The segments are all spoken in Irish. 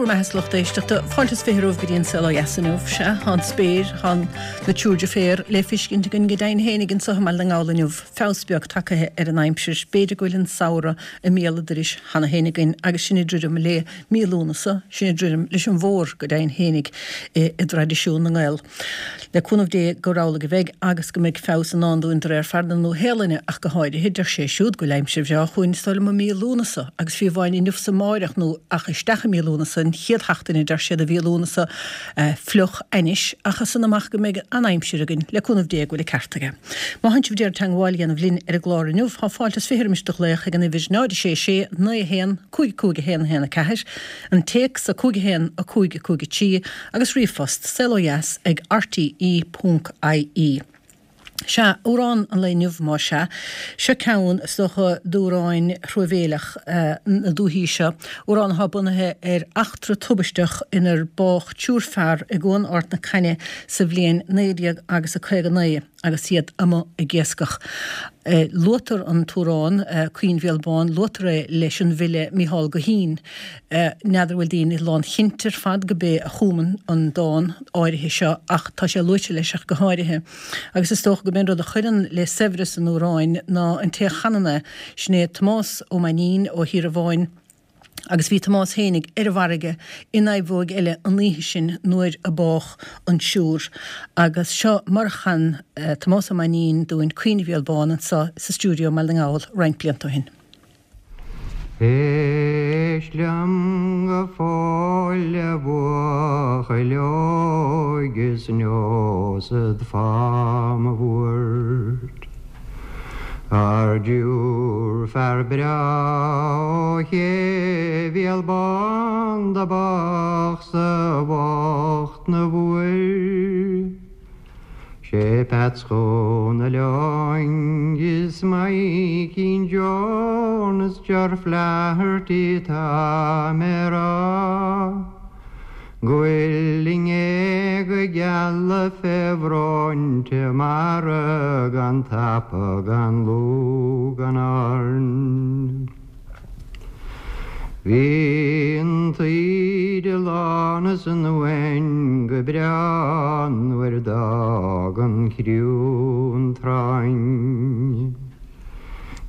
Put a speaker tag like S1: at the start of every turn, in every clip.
S1: Go raibh maith agat a lucht éisteachta. Fáilte is 20 romhaibh go dtí an Saol Ó Dheas inniu. Sea, tá an spéir, tá na triúr deirféar le feiscint againn go deimhin fhéinig anseo i mBaile na nGall inniu. Feabhas beag tagtha ar an aimsir. B'fhéidir go bhfuil an samhradh i mbéal an dorais cheana féin againn agus sinn ag druidim le mí Lúnasa, sinn ag druidim leis an bhfómhar go deimhin fhéinig i dtraidisiún na nGael. Le cúnamh Dé gur amhlaidh a bheidh agus go mbeidh feabhas i ndán dúinn de réir fear na Nua-Shéalainne ach go háirithe. Deir sé siúd go bhfuil aimsir bhreá chugainn is dóigh liom i mí Lúnasa agus fiú amháin inniu 's amáireach nó ach isteach i mí Lúnasa, an chéad sheachtain a deir siad de mhí Lúnasa, fliuch ainnis ach as san amach go mbeidh an-aimsir againn, le cúnamh Dé go bhfuil an ceart aige. Má thánn sibh d'iarraidh teangmháil a dhéanamh linn ar an gclár inniu tá fáilte is 20 roimis do ghlaoch ag an uimhir 0 6 6 9 1 5 5 1 1 4, an téacs 5 1 5 5 3 agus ríomhphost, saolodheas ag rte ponc ie. Sea, amhrán an lae inniu, más ea. Seo ceann, is dócha, d'amhráin thruamhéileach na dúichí seo, amhrán atá bunaithe ar eachtra tubaisteach inar bádh triúr fear i gCuan Ard na Caithne sa bhliain 19 agus a 59. agus iad amuigh ag iascach. Luaitear an t-amhrán, Caoin Bhéal Bán, luaitear é leis an bhfile Micheál Guithín. N'fheadar bhfuil daoine lánchinnte ar fad go b'é a chum an dán áirithe seo ach tá sé luaite leis ach go háirithe. Agus is dócha go b'é an rud a chuireann le saibhreas an amhráin ná an té a chanann é, sin é Tomás Ó Mainnín ó Thír an Bháin, Agus bhí Tomás fhéinig ar an bhfarraige in naomhóig eile an oíche sin nuair a bádh an triúr. Agus seo mar a chan Tomás Ó Mainnín dúinn Caoineadh Bhéal Bán anso sa stiúideo i mBaile na nGall roinnt blianta ó shin.
S2: Éist liom go fóill a bhuachaill óig is neosad fáth mo bhuairt. Ar dtriúr fear breá ó Ché Bhéal Bán do bádh sa bhocht na mhuir. Sé Peats Chónail Eoin is Maidhcín John is Ger Flaherty tá mé rá. Go bhfuil i ngéaga geala fé bhróinte mara gan tapa gan lúth gan airn. Bhí an taoide lán is an uain go breá nuair d'fhág an criú an tráinn.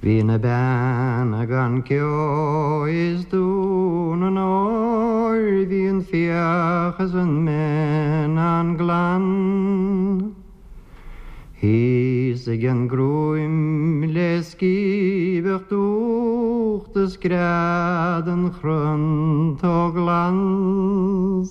S2: Bhí na beanna gan ceo is Dún an Óir bhí an fiach is an mine an-glan. Thíos ag an gCruaim le scíbeadh dúch do scread an chrann togh glas.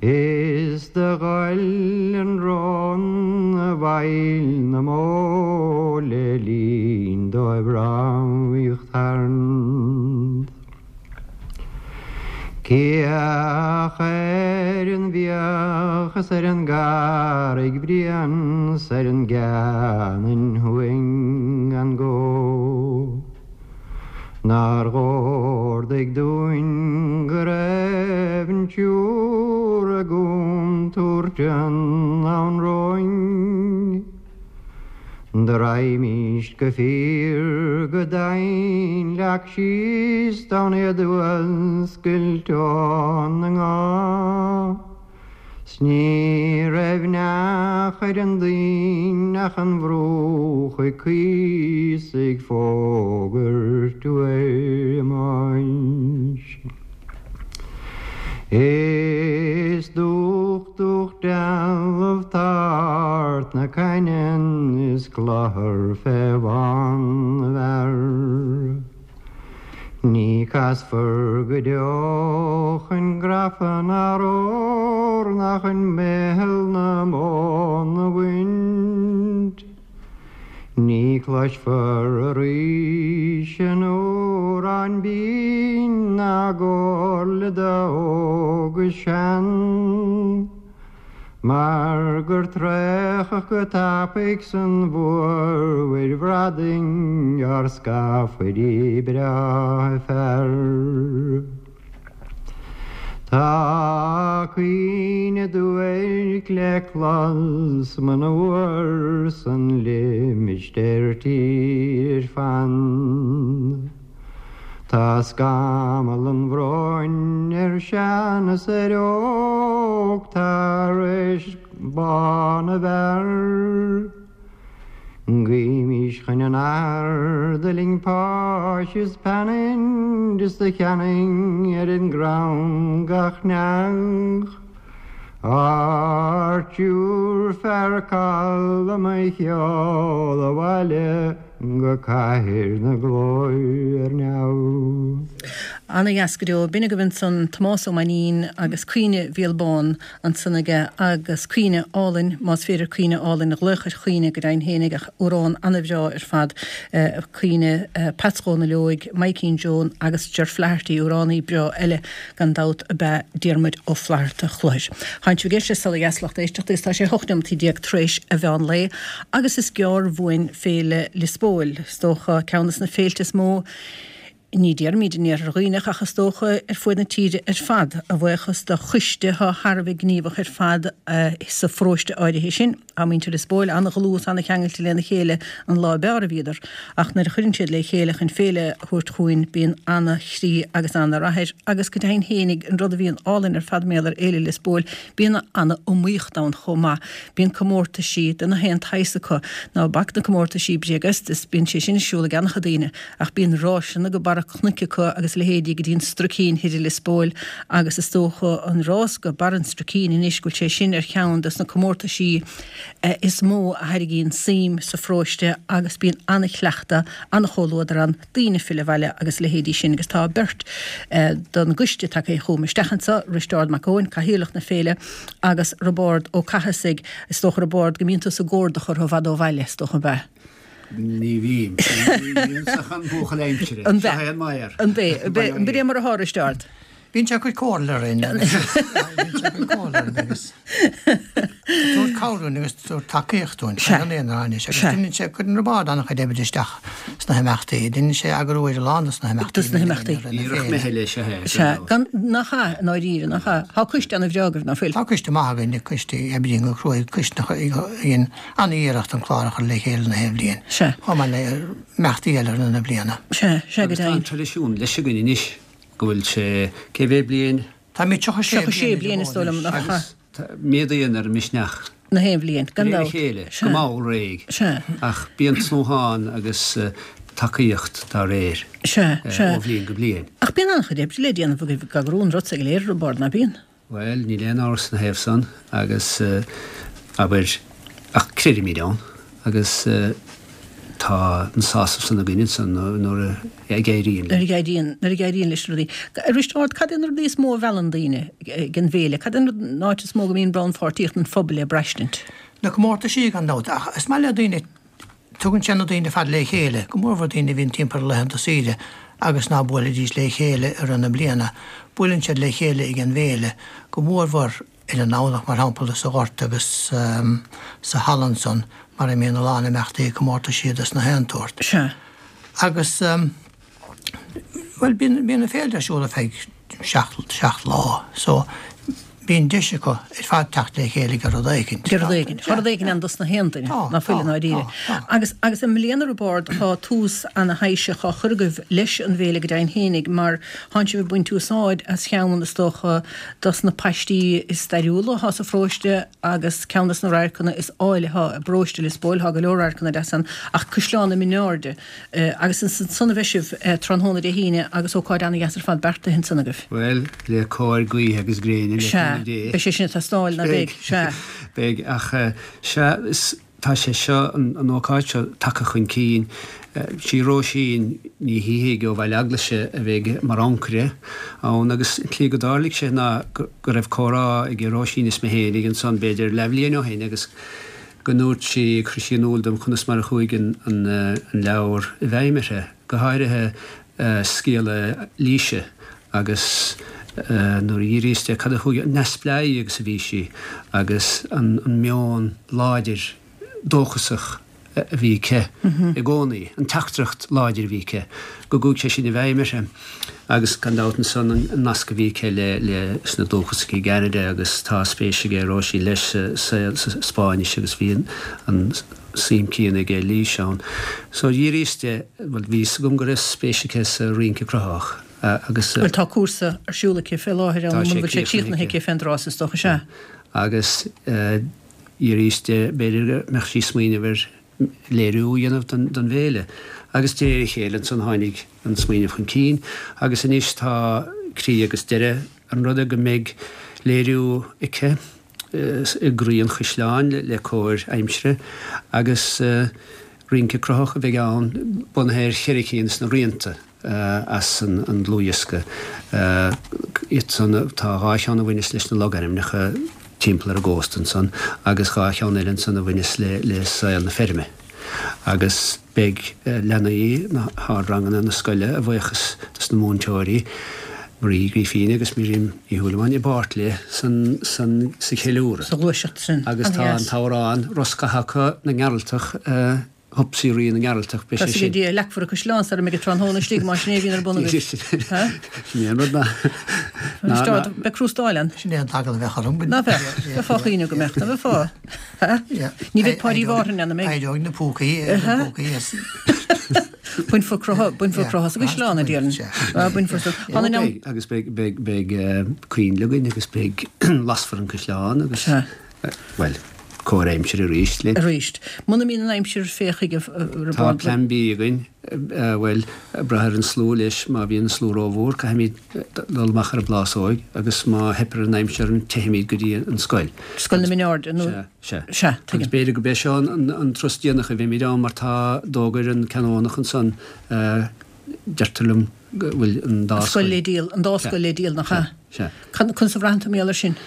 S2: Is do ghoil an rón i bhfeighil na mbó le linn dóibh ramhaíocht tharnt. Cíoch ar an bhFiach is ar an gCarraig Bhriain 's ar an gCeanainn thuaidh gan gó. Nár dh'órdaigh dúinn go raibh an triúr i gcontúirt anonn romhainn. Do raghaimíst go fíor go domhain leac síos d'fhonn iad a fhuascailt óna ngá. 'S ní raibh neach ar an dtoinn ach an bhruach ag caoi 's ag fógairt uair a mbáis. Is dúch dúch dealbh t'Art na Caithne is cluthar fé bhun na bhfear. Ní casfar go deo chun grafa ná romhar ná chun meitheal na móna a bhaint. Ní cloisfear arís an amhrán binn ná a gcomhairle d'óg is sean. Mar gur traochadh go tapaidh san mhórmhuir bhradaigh ár scafairí breátha fear. Tá caoineadh duairc le clos monuar san limistéar tír fan. Tá scamall an bhróin ar shean is ar óg tar éis bá na bhfear. Guímís chun an Athar d'fhuiling páis is peannaid is do cheannaigh ar an gcrann gach neach. Ár dtriúr fear calm a sheol abhaile go cathair na glóire ar neamh.
S1: Ana-dheas go deo. B'in agaibh ansan Tomás Ó Mainnín agus Caoineadh Mhícheál Bán ansan aige agus caoineadh álainn, más féidir caoineadh álainn a ghlaoch ar chaoineadh go deimhin fhéinig ach amhrán ana-bhreá ar fad, caoineadh Peats Dhónaill Óig, Maidhcín Joan agus Ger Flaherty, amhránaí breá eile. Gan dabht ab ea Diarmuid Ó Flaithearta Chluhair. Tánn sibh ag éisteacht le Saol Ó Dheas lucht éisteachta agus tá sé 18 neomataí tar éis a mheán lae agus is gearr uainn Féile Liospóil, is dócha ceann de na féilte is mó, ní déarfaimid in Iarthar Dhuibhneach ach is dócha ar fuaid na tíre ar fad, a bhuíochas do choiste atá thar a bheith gníomhach ar fad sa pharóiste áirithe sin. Tá muintir Liospóil an-dhlúth is an-cheangailte lena chéile an lá ab fhearr a bhíodar, ach nuair a chuireann siad le chéile chun féile a thabhairt chugainn bíonn ana-chroí agus ana-rath air agus go deimhin fhéinig an rud a bhíonn álainn ar fad mar gheall ar Fhéile Liospóil bíonn ana-iomaíocht ann chomh maith. Bíonn comórtaisí de na haon tsaghas acu. Ná bac na comórtaisí bréag-iost is bíonn sé sin ar siúl ag an-chuid daoine. Ach bíonn ráiseanna go barra cnoic acu agus a leithéidí go dtí an Struicín thoir i Lios Póil agus is dócha an rás go barr an Struicín anois go bhfuil sé sin ar cheann dos na comórtaisí is mó a thairgíonn suim sa pharóiste agus bíonn an-chleachtadh, an-chomhluadar ann, daoine ag filleadh abhaile agus a leithéidí sin agus tá beirt don gcoiste tagtha chugam isteach anseo, Risteárd Mac Eoin, Cathaoirleach na féile agus Roibeárd Ó Cathasaigh, is dócha Roibeárd go mbíonn tusa ag cuardach orthu i bhfad ó bhaile, is dócha, ab ea?
S3: Ní bhím. Ní ach an buachaill aimsire.
S1: An Seo é an maor. An bé? An b'é mar atá, Risteárd?
S4: Bíonn sé ag cur comhairle orainn. Bíonn sé ag cur comhairle orainn agus tabhairt cabhair dúinn agus tabhairt tacaíocht dúinn. Sea. An aon ráineas. Agus deineann sé, cuireann Roibeárd an-chuid oibre isteach sna himeachtaí. Deineann sé eagrú ar a lán dos na himeachtaí.
S1: Dos na himeachtaí.
S3: Iarracht meithle is ea
S1: é. Sea. Gan, nach ea, i ndáiríre, nach ea? Tá coiste ana-bhreá agaibh, ná fuil?
S4: Tá coiste maith againn, coiste a oibríonn go cruaidh, coiste a dhein an-iarracht an clár a chur le chéile na haon bhliain,
S1: Sea.
S4: chomh maith le imeachtaí eile i rith na bliana.
S1: Sea, sea, go
S3: Agus tá
S1: deimhin.
S3: an traidisiún leis againn anois go bhfuil sé, cé mhéad bliain?
S4: Táimid 36
S1: 36
S4: bliain
S1: bliain is dóigh liom, nach ea?
S3: Agus méadaíonn ar an misneach.
S1: Na haon bhliain, gan
S3: De réir a
S1: dabht.
S3: chéile,
S1: Sea.
S3: go mall réidh.
S1: Sea.
S3: Ach bíonn tnúthán agus tacaíocht dá réir.
S1: Sea, sea.
S3: Ó bhliain go bliain.
S1: Ach bíonn an-chuid oibre le déanamh agaibh ag eagrú an rud so go léir, Roibeárd, ná bíonn?
S3: Bhuel, níl aon amhras ina thaobh san agus, abair, ach creidimid ann agus tá an sásamh san againn ansan nuair a éiríonn
S1: linn. Nuair a éiríonn, nuair a éiríonn leis na rudaí. Risteárd, cad é na rudaí is mó a mheallann daoine ag an bhféile? Cad é an rud, an áit is mó go mbíonn rannpháirtíocht an phobail le braistint?
S4: Na comórtaisí gan dabht, ach is maith le daoine Tugann sé na daoine ar fad le chéile, go mórmhór daoine a bhíonn timpeall ar laethanta saoire agus ná buailfidís le chéile i rith na bliana. Buaileann siad le chéile ag an bhféile, go mórmhór ar an nDomhnach, mar shampla, sa ghort agus sa halla ansan mar a mbíonn a lán imeachtaí, comórtaisí dos na haon tsórt.
S1: Sea.
S4: Agus. Bhuel, bíonn, bíonn an féile ar siúl ar feadh seacht, seacht lá, so bíonn deis acu ar fad teacht le chéile ag rud éicint.
S1: Ag rud éigin. Tá rud éigin ann dos na haon duine, ná fuil i ndáiríre. Agus, agus i mbliana Roibeárd, tá tús ana-thaibhseach á chur agaibh leis an bhféile go deimhin fhéinig mar tánn sibh ag baint úsáid as cheann, is dócha, dos na paistí is stairiúla atá sa pharóiste agus ceann dos na radharcanna is áille atá i bparóiste Lios Póil, tá go leor radharcanna deasa ann, ach Caisleán na Mionairde. Agus is ansan a bheidh sibh tráthnóna Dé hAoine agus ócáid ana-dheas ar fad beartaithe ansan agaibh.
S3: Bhuel, le cóir gaoithe agus gréine, le
S1: Sea,
S3: cúnamh Dé.
S1: beidh sé sin ag teastáil, ná beidh? Sea.
S3: Beidh, ach sea, is, tá sé seo, an ócáid seo tagtha chun cinn. Sí Róisín Ní Shíthigh ó Bhaile Eaglaise a bheidh mar ancaire ann agus an tslí go dtarlaigh sé ná go raibh comhrá ag Róisín is mé féinig ansan b'fhéidir leathbhliain ó shin agus go ndúirt sí, chuir sí in iúl dom conas mar a chuaigh an leabhar i bhfeidhm uirthi, go háirithe scéala Laoise agus nuair a d'fhiafraíos di cad a chuaigh, an neamhspleáí agus a bhí sí agus an meon láidir dóchasach a bhí aici i gcónaí, an teachtaireacht láidir a bhí aici, go gcuaigh sé sin i bhfeidhm uirthi. Agus gan dabht ansan an nasc a bhí aici leis na dúchasaigh i gCeanada agus tá spéis aige Róisín leis sa Spáinnis agus bhí an. suim céanna ag Eilís ann. So dhíríos di, bhuel bhí fhios agam go raibh spéis aici sa rince cruthaitheach agus.
S1: Bhuel tá cúrsa ar siúl aici fé láthair ann, muna bhfuil sé críochnaithe aici fén dtráth is dócha, sea.
S3: Agus dhíríos di, b'fhéidir go mbeadh sí ag smaoineamh ar léiriú a dhéanamh don bhféile. Agus de réir a chéile ansan tháinig an smaoineamh chun cinn agus anois tá croí agus deireadh an ruda go mbeidh léiriú aici i gcroí an chaisleáin le cóir aimsire agus rince cruthaitheach a bheidh ann bunaithe ar cheithre cinn de na rianta as an dlúthdhiosca. Iad san, tá dhá cheann a bhaineas leis na logainmneacha timpeall ar an gcósta ansan agus dhá cheann eile ansan a bhaineas le saol na feirme. Agus beidh leanaí na hardranganna na scoile, a bhuíochas dos na múinteoirí, Marie Uí Ghrífín agus Miriam Ní Shúilleabháin, i bpáirt léi san sa cheiliúradh.
S1: Sa ghluaiseacht sin.
S3: Agus tá an t-amhrán Roscadh Thaca na nGearaltach, Hopsaí Rí na nGearaltach,
S1: beidh sé sin. Tá a leagfar an caisleán sara mbeidh an tráthnóna istigh, más sin é a bhíonn ar bun agaibh.
S3: Sin é an rud ná.
S1: Beidh crústáil ann.
S4: Sin é an t-eagal a bheadh orm.
S1: Ná bheadh? Bheifeá á chaoineadh go mbeadh, ná bheifeá? Ní bheidh Páidí Mhárthain ann, an mbeidh?
S4: Éireoidh na púcaí, na púcaí as.
S1: Bainfear croitheadh, bainfear croitheadh as an gcaisleán, a déarfainn. Bainfear sa.
S3: Tháinig an. Agus beidh, beidh, beidh coinnle againn agus beidh, lasfar an caisleán agus, bhuel, cóir aimsire arís
S1: linn. Arís. Muna mbíonn an aimsir, féach chuige.
S3: Tá plean B againn. Bhuel, ag brath ar an slua leis, má bhíonn an slua rómhór, caithfimid dul amach ar an bplásóig agus má theip ar an aimsir orainn, teithfimid go dtí an scoil.
S1: Scoil na Mine Airde, nó?
S3: Sea, sea. Sea, tuigim. Agus b'fhéidir gurb é seo an turas déanach a bheimid ann mar tá, d'fhógair an Canónach ansan, deirtear liom go bhfuil an dá
S1: scoil. Scoil le díol, an dá scoil le díol, nach ea?
S3: Sea, sea.
S1: Conas a bhraitheann tú mar gheall air sin?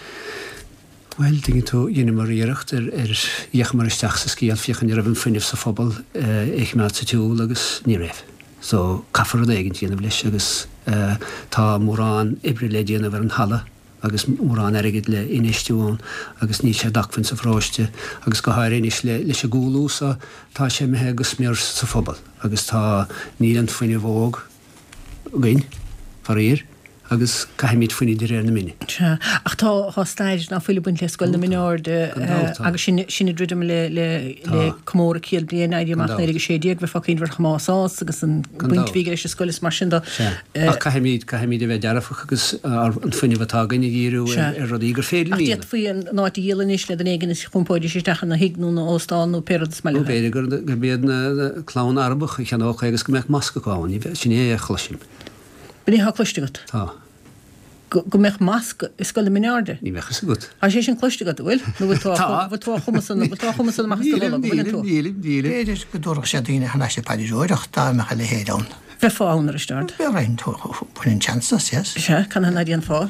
S3: Bhuel, tuigeann tú, dheineamar iarracht ar, ar, d'fhéachamar isteach sa scéal féachaint an raibh an fuinneamh sa phobal é a choimeád sa tsiúl agus ní raibh. So, caithfear rud éigint a dhéanamh leis agus tá mórán oibre le déanamh ar an halla agus mórán airgid le infheistiú ann agus níl sé d'acmhainn sa pharóiste agus go háirithe anois le, leis an gcúlú so, tá sé imithe go smior sa phobal agus tá, níl an fuinneamh óg againn, faraor, agus caithfimid fuinneamh de réir na mine.
S1: Sea, ach tá, tá stair ná fuil ag baint le Scoil na Mine Airde agus sin, sin ag druidim le, le, le comóradh 100 bliain Éirí Amach 1916, bheifeá ag cuimhneamh ar Thomás Ághas agus an baint a bhí aige leis an scoil is mar sin
S3: de. Sea, ach caithfimid, caithfimid a bheith dearfach agus ár, an fuinneamh atá againn a dhíriú ar, ar rudaí gur féidir
S1: linn a dhéanamh. Ach d'fhéadfaí an áit a dhíol anois le duine éigin is dh'iompóidís isteach ina thigh nó ina óstán nó pé rud is maith
S3: leo. Nó b'fhéidir gur, gurb iad na, na clann Arabach a cheannódh é agus go mbeadh masc acu ann, sin é a chloisim.
S1: B'in é atá cloiste agat?
S3: Tá.
S1: Go mbeadh masc i Scoil na Mine Airde?
S3: Ní bheadh fhios agat.
S1: Tá sé sin cloiste agat, an bhfuil? Nó bhfuil tú á bhfuil tú á chumadh san, bhfuil tú á chumadh san amach as do bholg, an bhfuileann
S4: tú? Nílim, nílim, nílim. B'fhéidir go dtabharfadh sé daoine thar n-ais ag paidreoireacht dá mbeadh a leithéid ann.
S1: Bheifeá ann, a Risteárd.
S4: Bheinn, bhainfinn seans as, yes.
S1: Sea, canathaobh ná déanfá?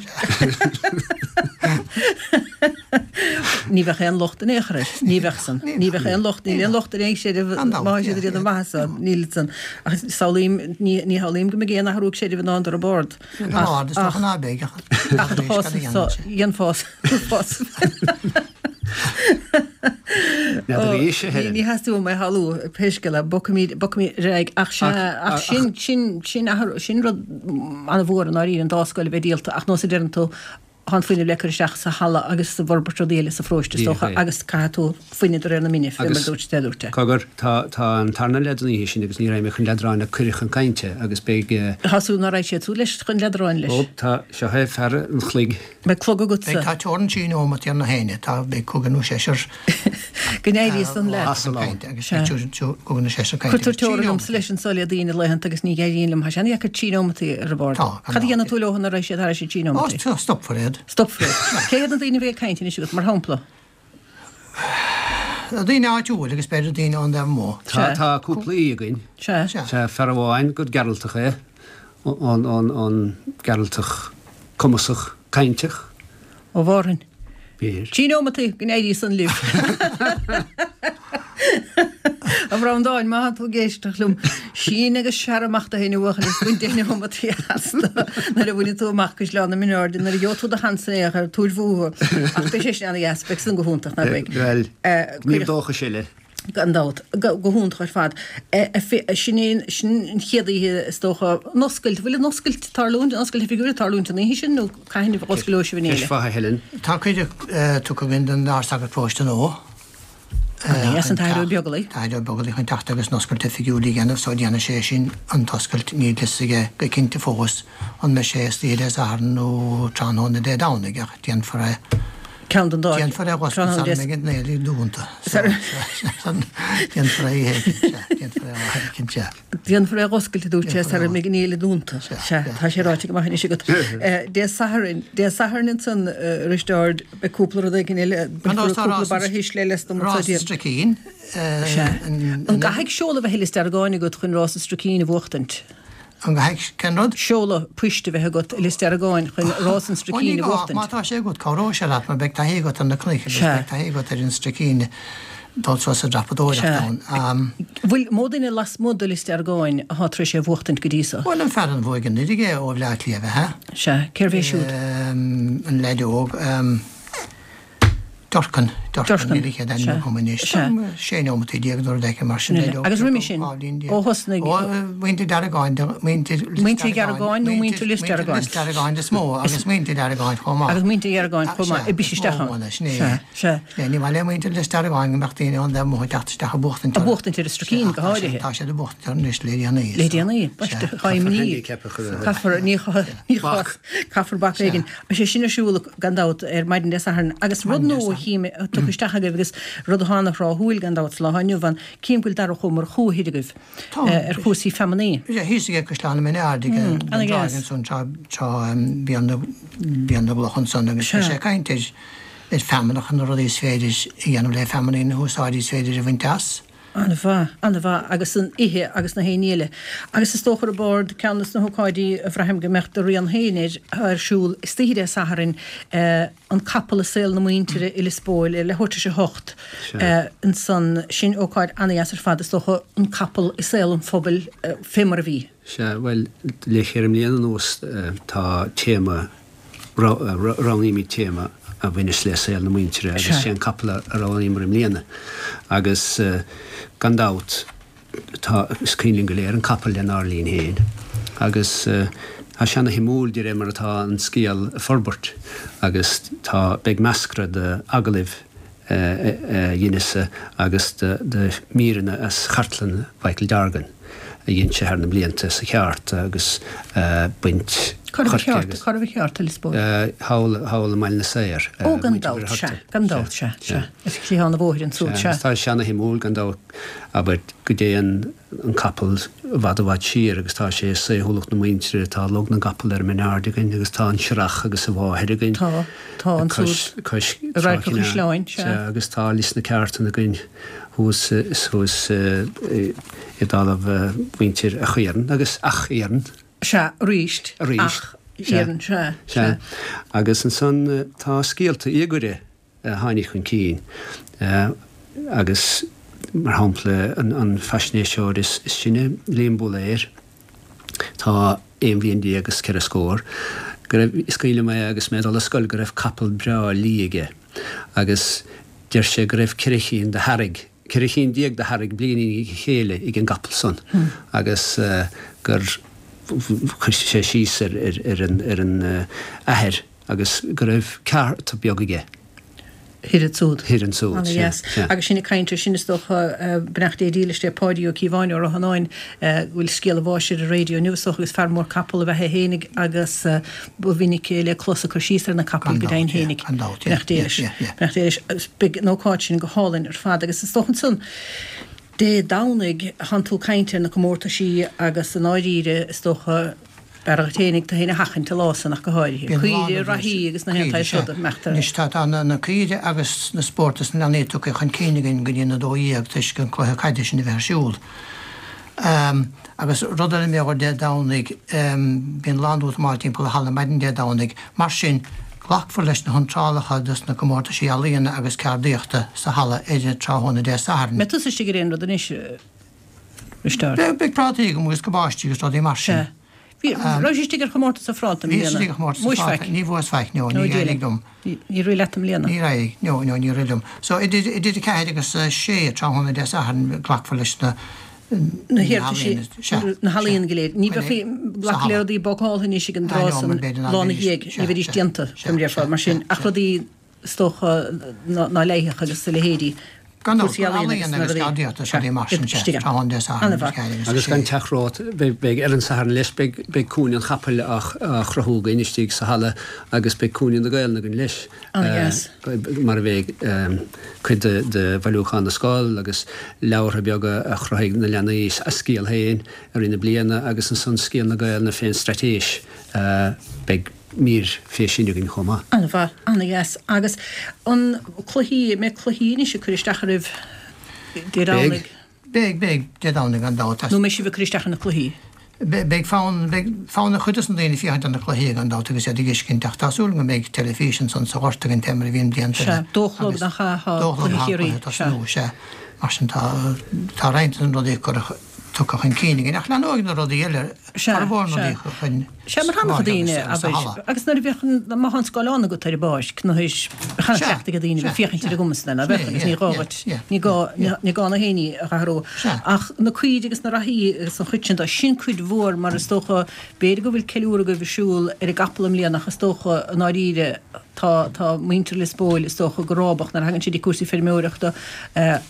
S1: Ní bheadh aon locht in aon chor air. Ní bheadh san. Ní bheadh aon locht, níl aon locht ar aon chreideamh má tá siad ag déanamh maitheasa, níl san. Ach samhlaím, ní shamhlaím go mbeidh aon athrú ag creideamh i ndán d'Ard.
S4: Ach, is dócha ná beidh
S1: ach ach do chás so, dhéanfá Ní theastaigh uaim é a shamhlú, pé scéal é, bogfaimid, bogfaimid ar aghaidh. Ach sea, ach sin, sin, sin athrú, sin rud an-mhór i ndáiríre, an dá scoil a bheith díolta, ach nós a deireann tú, Tá an fuinneamh le cur isteach sa halla agus sa bhforbairt rudaí eile sa pharóiste is dócha agus caithfidh tú fuinneamh de réir na mine, fé mar a dúirt
S3: a dúirt. Cogar, tá, tá an tarna leaid an oíche sin agus ní raghaidh mé chun leadráin le cuireadh chun cainte agus beidh.
S1: Tá súil ná raghaidh siad suas leis chun leadráin leis.
S3: Ó, tá, seo é fear an chloig.
S1: Beidh clog agatsa.
S4: Beidh, tá teorainn trí neomat ar na héinne, tá, beidh cúigear nó seisear.
S1: Go n-éirí san
S4: leat. Agus beidh cúigear nó seisear
S1: cainte. Cuirtear teorainn liomsa leis anso le daoine laethanta agus ní éiríonn liom. Tá sé an-dheacair trí neomataí ar an bhord.
S4: Tá.
S1: Cad a dhéanfaidh tú leo nuair a raghaidh siad thar an trí
S4: neomataí? Ó, stopfar iad.
S1: Stopfar iad. Cé hiad na daoine a bheidh ag caint anois agat, mar shampla?
S4: Daoine áitiúil agus b'fhéidir daoine ón dtaobh amuigh.
S3: Tá, tá cúpla aoi againn.
S1: Sea.
S3: Sea, fear amháin gur Gearaltach é, an Gearaltach cumasach cainteach.
S1: Ó Mhárthain.
S3: B'fhéidir.
S1: Trí neomataí, go n-éirí san libh. A Bhreandáin, má tá tú ag éisteacht liom, sín agus searr amach do fhéin a bhuachaill is bain deich neomataí astu nuair a bhainfidh tú amach Caisleán na Mine Airde, nuair a gheobhaidh tú do sheans in aon chor, tabhair fúthu. Ach beidh sé sin ana-dheas, beidh san go hiontach, nach
S3: mbeidh? Bhuel, gníomh dóchais eile.
S1: Gan dabht. Go hiontach ar fad. Sin é, sin an chéad oíche is dócha, an oscailt, bhfuil an oscailt ag tarlúint, an oscailt oifigiúil ag tarlúint an oíche sin nó cathain a osclóidh sibh an
S3: fhéile? Ceist mhaith a Helen.
S4: Tá cuireadh tugtha againn don Ard-Sagart Paróiste nua.
S1: An tAthair Ó Beaglaoich.
S4: An tAthair Ó Beaglaoich chun teacht agus an oscailt oifigiúil a dhéanamh so déanfaidh sé sin an t-oscailt níl fhios aige go cinnte fós an mbeidh sé istoíche Dé Sathairn nó tráthnóna Dé Domhnaigh ach déanfar é
S1: Ceann den dá.
S4: Déanfar é dh'oscailt sara mbeidh an fhéile dúnta. Déanfar é oíche éicint, sea. Déanfar é lá éicint, sea.
S1: Déanfar é dh'oscailt, a dúirt sé, sara mbeidh an fhéile dúnta. Sea, tá sé ráite go maith anois agat. Dé Sathairn, Dé Sathairn ansan, a Risteáird, beidh cúpla rud éigin eile, bainfear cúpla barra thuisle eile as dom
S4: anso. Rás an Stricín.
S1: Sea. An gcaithfidh seoladh a bheith i Lios Deargáin agat chun Rás an Stricín a bhuachtaint?
S4: An gcaithfidh cén rud?
S1: Seoladh poist a bheith agat i Lios Deargáin chun Rás an Stricín a bhuachtaint.
S4: Má tá sé agat, cabhróidh sé leat mar beidh taithí agat ar na cnoic agus beidh taithí agat ar an Stricín dul suas ag dreapadóireacht
S1: ann. Bhfuil mó duine lasmuigh de Lios Deargáin atá tar éis é a bhuachtaint go dtí so?
S4: Bhuel, an fear a bhuaigh anuraidh é ó Bhleá Cliath, ab
S1: ea? Sea. Cérbh é siúd?
S4: An leaid óg. Durcan, Durcan, níl a chéad ainm agam anois. 16 neomataí nó rud éigin mar sin.
S1: Agus roimhe sin, ó thosnaigh.
S4: Ó, muintir Deargáin,
S1: muintir Muintir Dheargáin nó muintir Lios Deargáin?
S4: Muintir Lios Deargáin is mó agus muintir Deargáin chomh maith.
S1: Agus muintir Dheargáin chomh maith, ag biseadh isteach
S4: ann. Sin é. Sea, sea. Ní maith le muintir Lios Deargáin go mbeadh daoine ón dtaobh amuigh ag teacht isteach ag buachtaint
S1: orthu. Ag buachtaint ar an Stricín go háirithe.
S4: Tá siad ag buachtaint orthu anois le déanaí.
S1: Le déanaí, baiste, tá imní. Caithfear, ní, ní, caithfear bac éigin. Beidh sé sin ar siúl. gan dabht, ar maidin Dé Sathairn. Agus rud nua a chím tugtha isteach agaibh agus rud atá ana-thráthúil, gan dabht, sa lá inniu ann, cím go bhfuil Darach Ó Murchú thoir agaibh ar chúrsaí feamnaí.
S4: Sea, thíos aige Caisleán na Mine Aird ag an dtráigh ansan tráth bhí na gcloch ansan agus bhí sé ag caint ar feamnach, na rudaí is féidir a dhéanamh le feamnaí, na húsáidí is féidir a bhaint as.
S1: An-mhaith, an-mhaith, agus an ithe agus na haon ní eile. Agus is dócha ar bord, ceann de na hócáidí a bhraithim go mbeadh do rian féin air, atá ar siúl istoíche Dé Sathairn, an capall i saol na muintire i Lios Póil ar leathuair tar éis a hocht ansan. Sin ócáid an-dheas ar fad, is dócha, an capall i saol an phobail fé mar a bhí.
S3: Sea, bhuel, le ceithre mbliana anuas tá téama Roghnaímid téama a bhaineas le saol na muintire agus sé an capall a roghnaíomar i mbliana. Agus gan dabht tá, is cuimhin linn go léir an capall lenár linn féin. Agus tá sé ana shuimiúil de réir mar atá an scéal ag forbairt agus tá, beidh meascra de agallaimh a dheineas-sa agus de mhíreanna as chartlann Mhichael Dargan a dhein sé thar na blianta sa cheárta agus baint
S1: Cá raibh an cheárta? Cá raibh an cheárta, Lios
S3: Póil? Thall, thall i mBaile na Saor.
S1: Ó, gan dabht, sea, gan dabht, sea, sea. Ar chliathán an bhóthair ansúd, sea.
S3: Sea, tá sé ana-shuimiúil gan dabht, abair, go dtéann an capall i bhfad i bhfad siar agus tá sé i saoithiúlacht na muintire, tá Log na gCapall ar an Min Aird againn agus tá an Srach agus a mháthair againn.
S1: Tá, tá ansúd.
S3: Cois,
S1: cois Trá Radharc an Chaisleáin,
S3: sea. Sea, agus tá Lios na Ceártan againn thuas, thuas i dtalamh mhuintir Ach Iarainn agus Ach Iarainn.
S1: Sea, aríst.
S3: Aríst.
S1: Ach Iarainn, sea,
S3: sea. Agus ansan tá scéalta íogaire a tháinig chun cinn agus, mar shampla, an faisnéiseoir is sine, Liam Búlaeir, tá aon bhliain déag is ceithre scór, go raibh, is cuimhin liom é agus mé ag dul ar scoil, go raibh capall breá liath aige agus deir sé go raibh ceithre chinn de shearraigh, 14 chinn de shearraigh bliain i ndiaidh a chéile ag an gcapall san agus gur chuir sé síos ar an athair agus go raibh ceárta beag aige.
S1: Thoir ansúd.
S3: Thoir ansúd,
S1: sea. Ana-dheas. Agus sinn ag caint air sin, is dócha, beannacht Dé dílis le Páidí Ó Cíobháin ó Ráth Fhionáin, go bhfuil scéal a bháis ar an raidió inniu, is dócha, agus fear mór capall ab ea é fhéinig agus ba mhinic é le clos ag cur síos ar na capaill go deimhin fhéinig. Beannacht Dé leis. Beannacht Dé leis. Agus beidh an ócáid sin go hálainn ar fad. Agus is dócha ansan, Dé Domhnaigh, thánn tú ag caint ar na comórtaisí agus i ndáiríre, is dócha, B'fhearr dhuit fhéinig tú fhéin a sheachaint an lá san ach go háirithe. Caoire, reathaí agus na haon tsaghas ruda, meachtar.
S4: Anois tá tá na caoire agus na spóirt dos na leanaí tugtha chun cinn againn go dtí an 12 toisc an cluiche caide sin a bheith ar siúl. Agus rud eile mar gheall ar Dé Domhnaigh, bíonn lán útamáil timpeall an halla maidin Dé Domhnaigh. Mar sin, glacfar leis na hiontrálacha dos na comórtaisí ealaíona agus ceardaíochta sa halla ar an tráthnóna Dé Sathairn.
S1: Mbeidh tusa istigh ar aon rud anois?
S4: Risteárd. Beidh prátaí agam agus cabáistí agus rudaí mar sin.
S1: Sea. Bhí, raibh sé istigh ar chomórtas an phráta i
S4: mbliana? Bhíos istigh ar chomórtas an phráta. Ní bhuas faic, no, níor éirigh liom.
S1: Níor rith leat i mbliana?
S4: Níor éirigh, no, no, níor rith liom. So, idir, idir a ceathair agus a sé tráthnóna Dé Sathairn glacfar leis na,
S1: na hiarrataisí, na healaíona go léir. Ní bheifí glacadh le rudaí bácáltha anois ag an dtráth san lá ina dhiaidh, ní bheidís déanta, faoi mar a déarfá, mar sin, ach rudaí is dócha ná leigheadh agus a leithéidí.
S4: Gan dabht, cúrsaí ealaíon agus ceardaíochta is rudaí mar sin, sea, tráthnóna Dé Sathairn agus
S3: Ana-mhaith. 4 agus Agus gan
S4: 6.
S3: teacht romhat, beidh, ar an Satharn leis, beidh Cúinne an Chapaill á chruthú againn istigh sa halla agus beidh Cúinne na Gaelainne againn leis,
S1: Ana-dheas.
S3: mar a bheidh cuid de bhailiúchán na scol agus leabhartha beaga a chruthaigh na leanaí, a scéal féin i rith na bliana agus ansan scéal na Gaelainne fén straitéis. Beidh. mír fé sin againn chomh maith.
S1: An-mhaith, an-dheas. Agus an cluichí, an mbeidh cluichí anois ag cur isteach oraibh Dé Domhnaigh?
S4: Beidh, beidh, Dé Domhnaigh gan dabht.
S1: Nó an mbeidh sibh ag cur isteach ar na cluichí?
S4: Beidh fonn, beidh fonn ar chuid dos na daoine féachaint ar na cluichí gan dabht agus iad ag fheiscint ach tá súil agam go mbeidh teilifís ansan sa ghort againn fé mar a bhíonn blianta
S1: eile. Sea, dó a chlog nach ea atá cluiche Chiarraí.
S4: Sea. Sea, mar sin tá, tá roinnt de na rudaí curtha, tugtha chun cinn againn ach leanóidh na rudaí eile
S1: formhór na rudaí chun Sea, mar tháinig daoine, abair, agus nuair a bheadh an, má tá an scáileán agat ar an bpáirc, nó théis, bheadh an-chleachtadh ag daoine bheith féachaint ar an gcuma san, ná beadh, agus ní gá dhuit, ní gá, ní gá na héinní a athrú. Ach na caoirigh agus na reathaí agus an chuid sin de, sin cuid mhór mar is dócha, b'fhéidir go bhfuil ceiliúradh agaibh ar siúl ar an gcapall i mbliana ach is dócha, i ndáiríre, Tá, tá muintir Lios Póil, is dócha, go rábach nuair a thagann siad ag cúrsaí feirmeoireachta,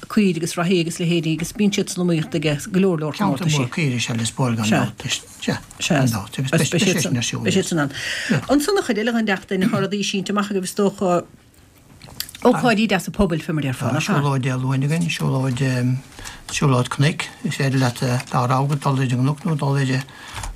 S1: caoirigh agus reathaí agus leithéidí agus bíonn siad san iomaíocht aige go leor leor
S4: Ceantar comórtaisí. mór caoirigh is ea Lios Póil gan Sea. dabht. Sea,
S1: Sea. gan dabht. Agus Agus beidh, beidh sé sin ar siúl, beidh siad san ann. Ansan an chuid eile den tseachtain, tá rudaí sínte amach agaibh is dócha, ócáidí deasa pobail fé mar a déarfá,
S4: Tá nach ea? siúlóid Dé Luain againn, siúlóid, siúlóid cnoic. Is féidir leat dá rogha dul ar an gcnoc nó dul ar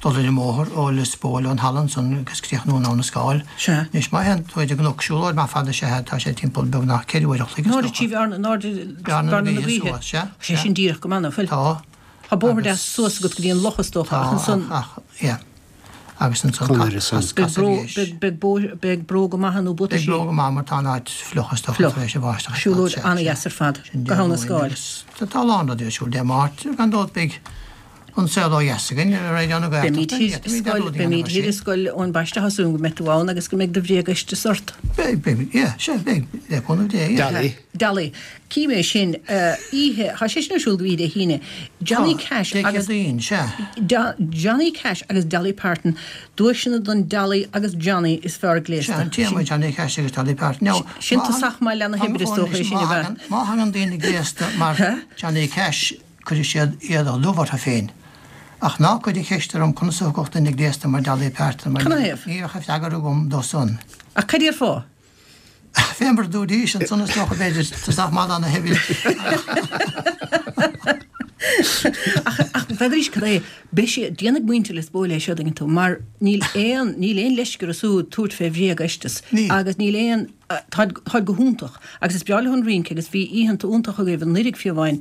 S4: dul ar an mbóthar ó Lios Póil ón halla ansan agus críochnú in Abha na Scáil.
S1: Sea.
S4: Anois má théann tú ar an gcnoc, siúlóid maith fada is ea é, tá sé timpeall beagnach 4 uair a chloig is
S1: dócha. Nárbh Bhearna, Bearna na Gaoithe
S4: suas, sea.
S1: Sé sin díreach go maith, ná fuil?
S4: Tá.
S1: Tá bóthar deas suas agat go dtí an loch is dócha ach ansan.
S4: Tá, ach, yeah. Agus ansan
S3: Conair ansan.
S1: cas arís. Beidh beidh bróga maithe nó
S4: buataisí. Beidh bróga maith mar tá an áit fliuch is dócha tar éis an bháisteach.
S1: Siúlóid an-dheas ar fad. Go hAbha na Scáil.
S4: Tá a lán rudaí ar siúl Dé Máirt, gan dabht beidh An Saol Ó Dheas againn ar Raidió na
S1: Gaeltachta. Beimid thiar i Scoil Eoin Baiste, tá súil agam go mbeidh tú ann agus go mbeidh do bhréagfheisteas ort.
S4: Beidh, beidh, yeah, sea, beidh, le cúnamh Dé,
S1: yeah. Dolly. Dolly. Cím é sin, oíche, tá sé sin ar siúl go oíche Dé hAoine. Johnny Cash
S4: agus. Dé Céadaoin, sea.
S1: Johnny Cash agus Dolly Parton, duaiseanna don Dolly agus Johnny is fearr gléasta.
S4: Sea, an téama Johnny Cash agus Dolly Parton.
S1: Now, Sin tosach maith le na hoibre is dócha é sin
S4: a bheith. Má thagann daoine gléasta mar Johnny Cash, Cuirfidh siad éadach dubh orthu féin. Ach ná cuir an cheist orm conas a thiocfadh duine gléasta mar Dolly Parton mar ní bheadh an freagra agam dó san.
S1: Ach cad déarfá?
S4: Fé mar a dúraís ansan is dócha b'fhéidir, tosach maith do na hoibre.
S1: Ach n'fheadraís cad é, beidh sé, déanfaidh muintir Lios Póil é seo, dtuigeann tú, mar níl aon, níl aon leisce orthu siúd tabhairt fé bhréagfheisteas agus níl aon, Táid go hiontach agus is breá leo an rince agus bhí oícheanta iontacha agaibh anuraidh fiú amháin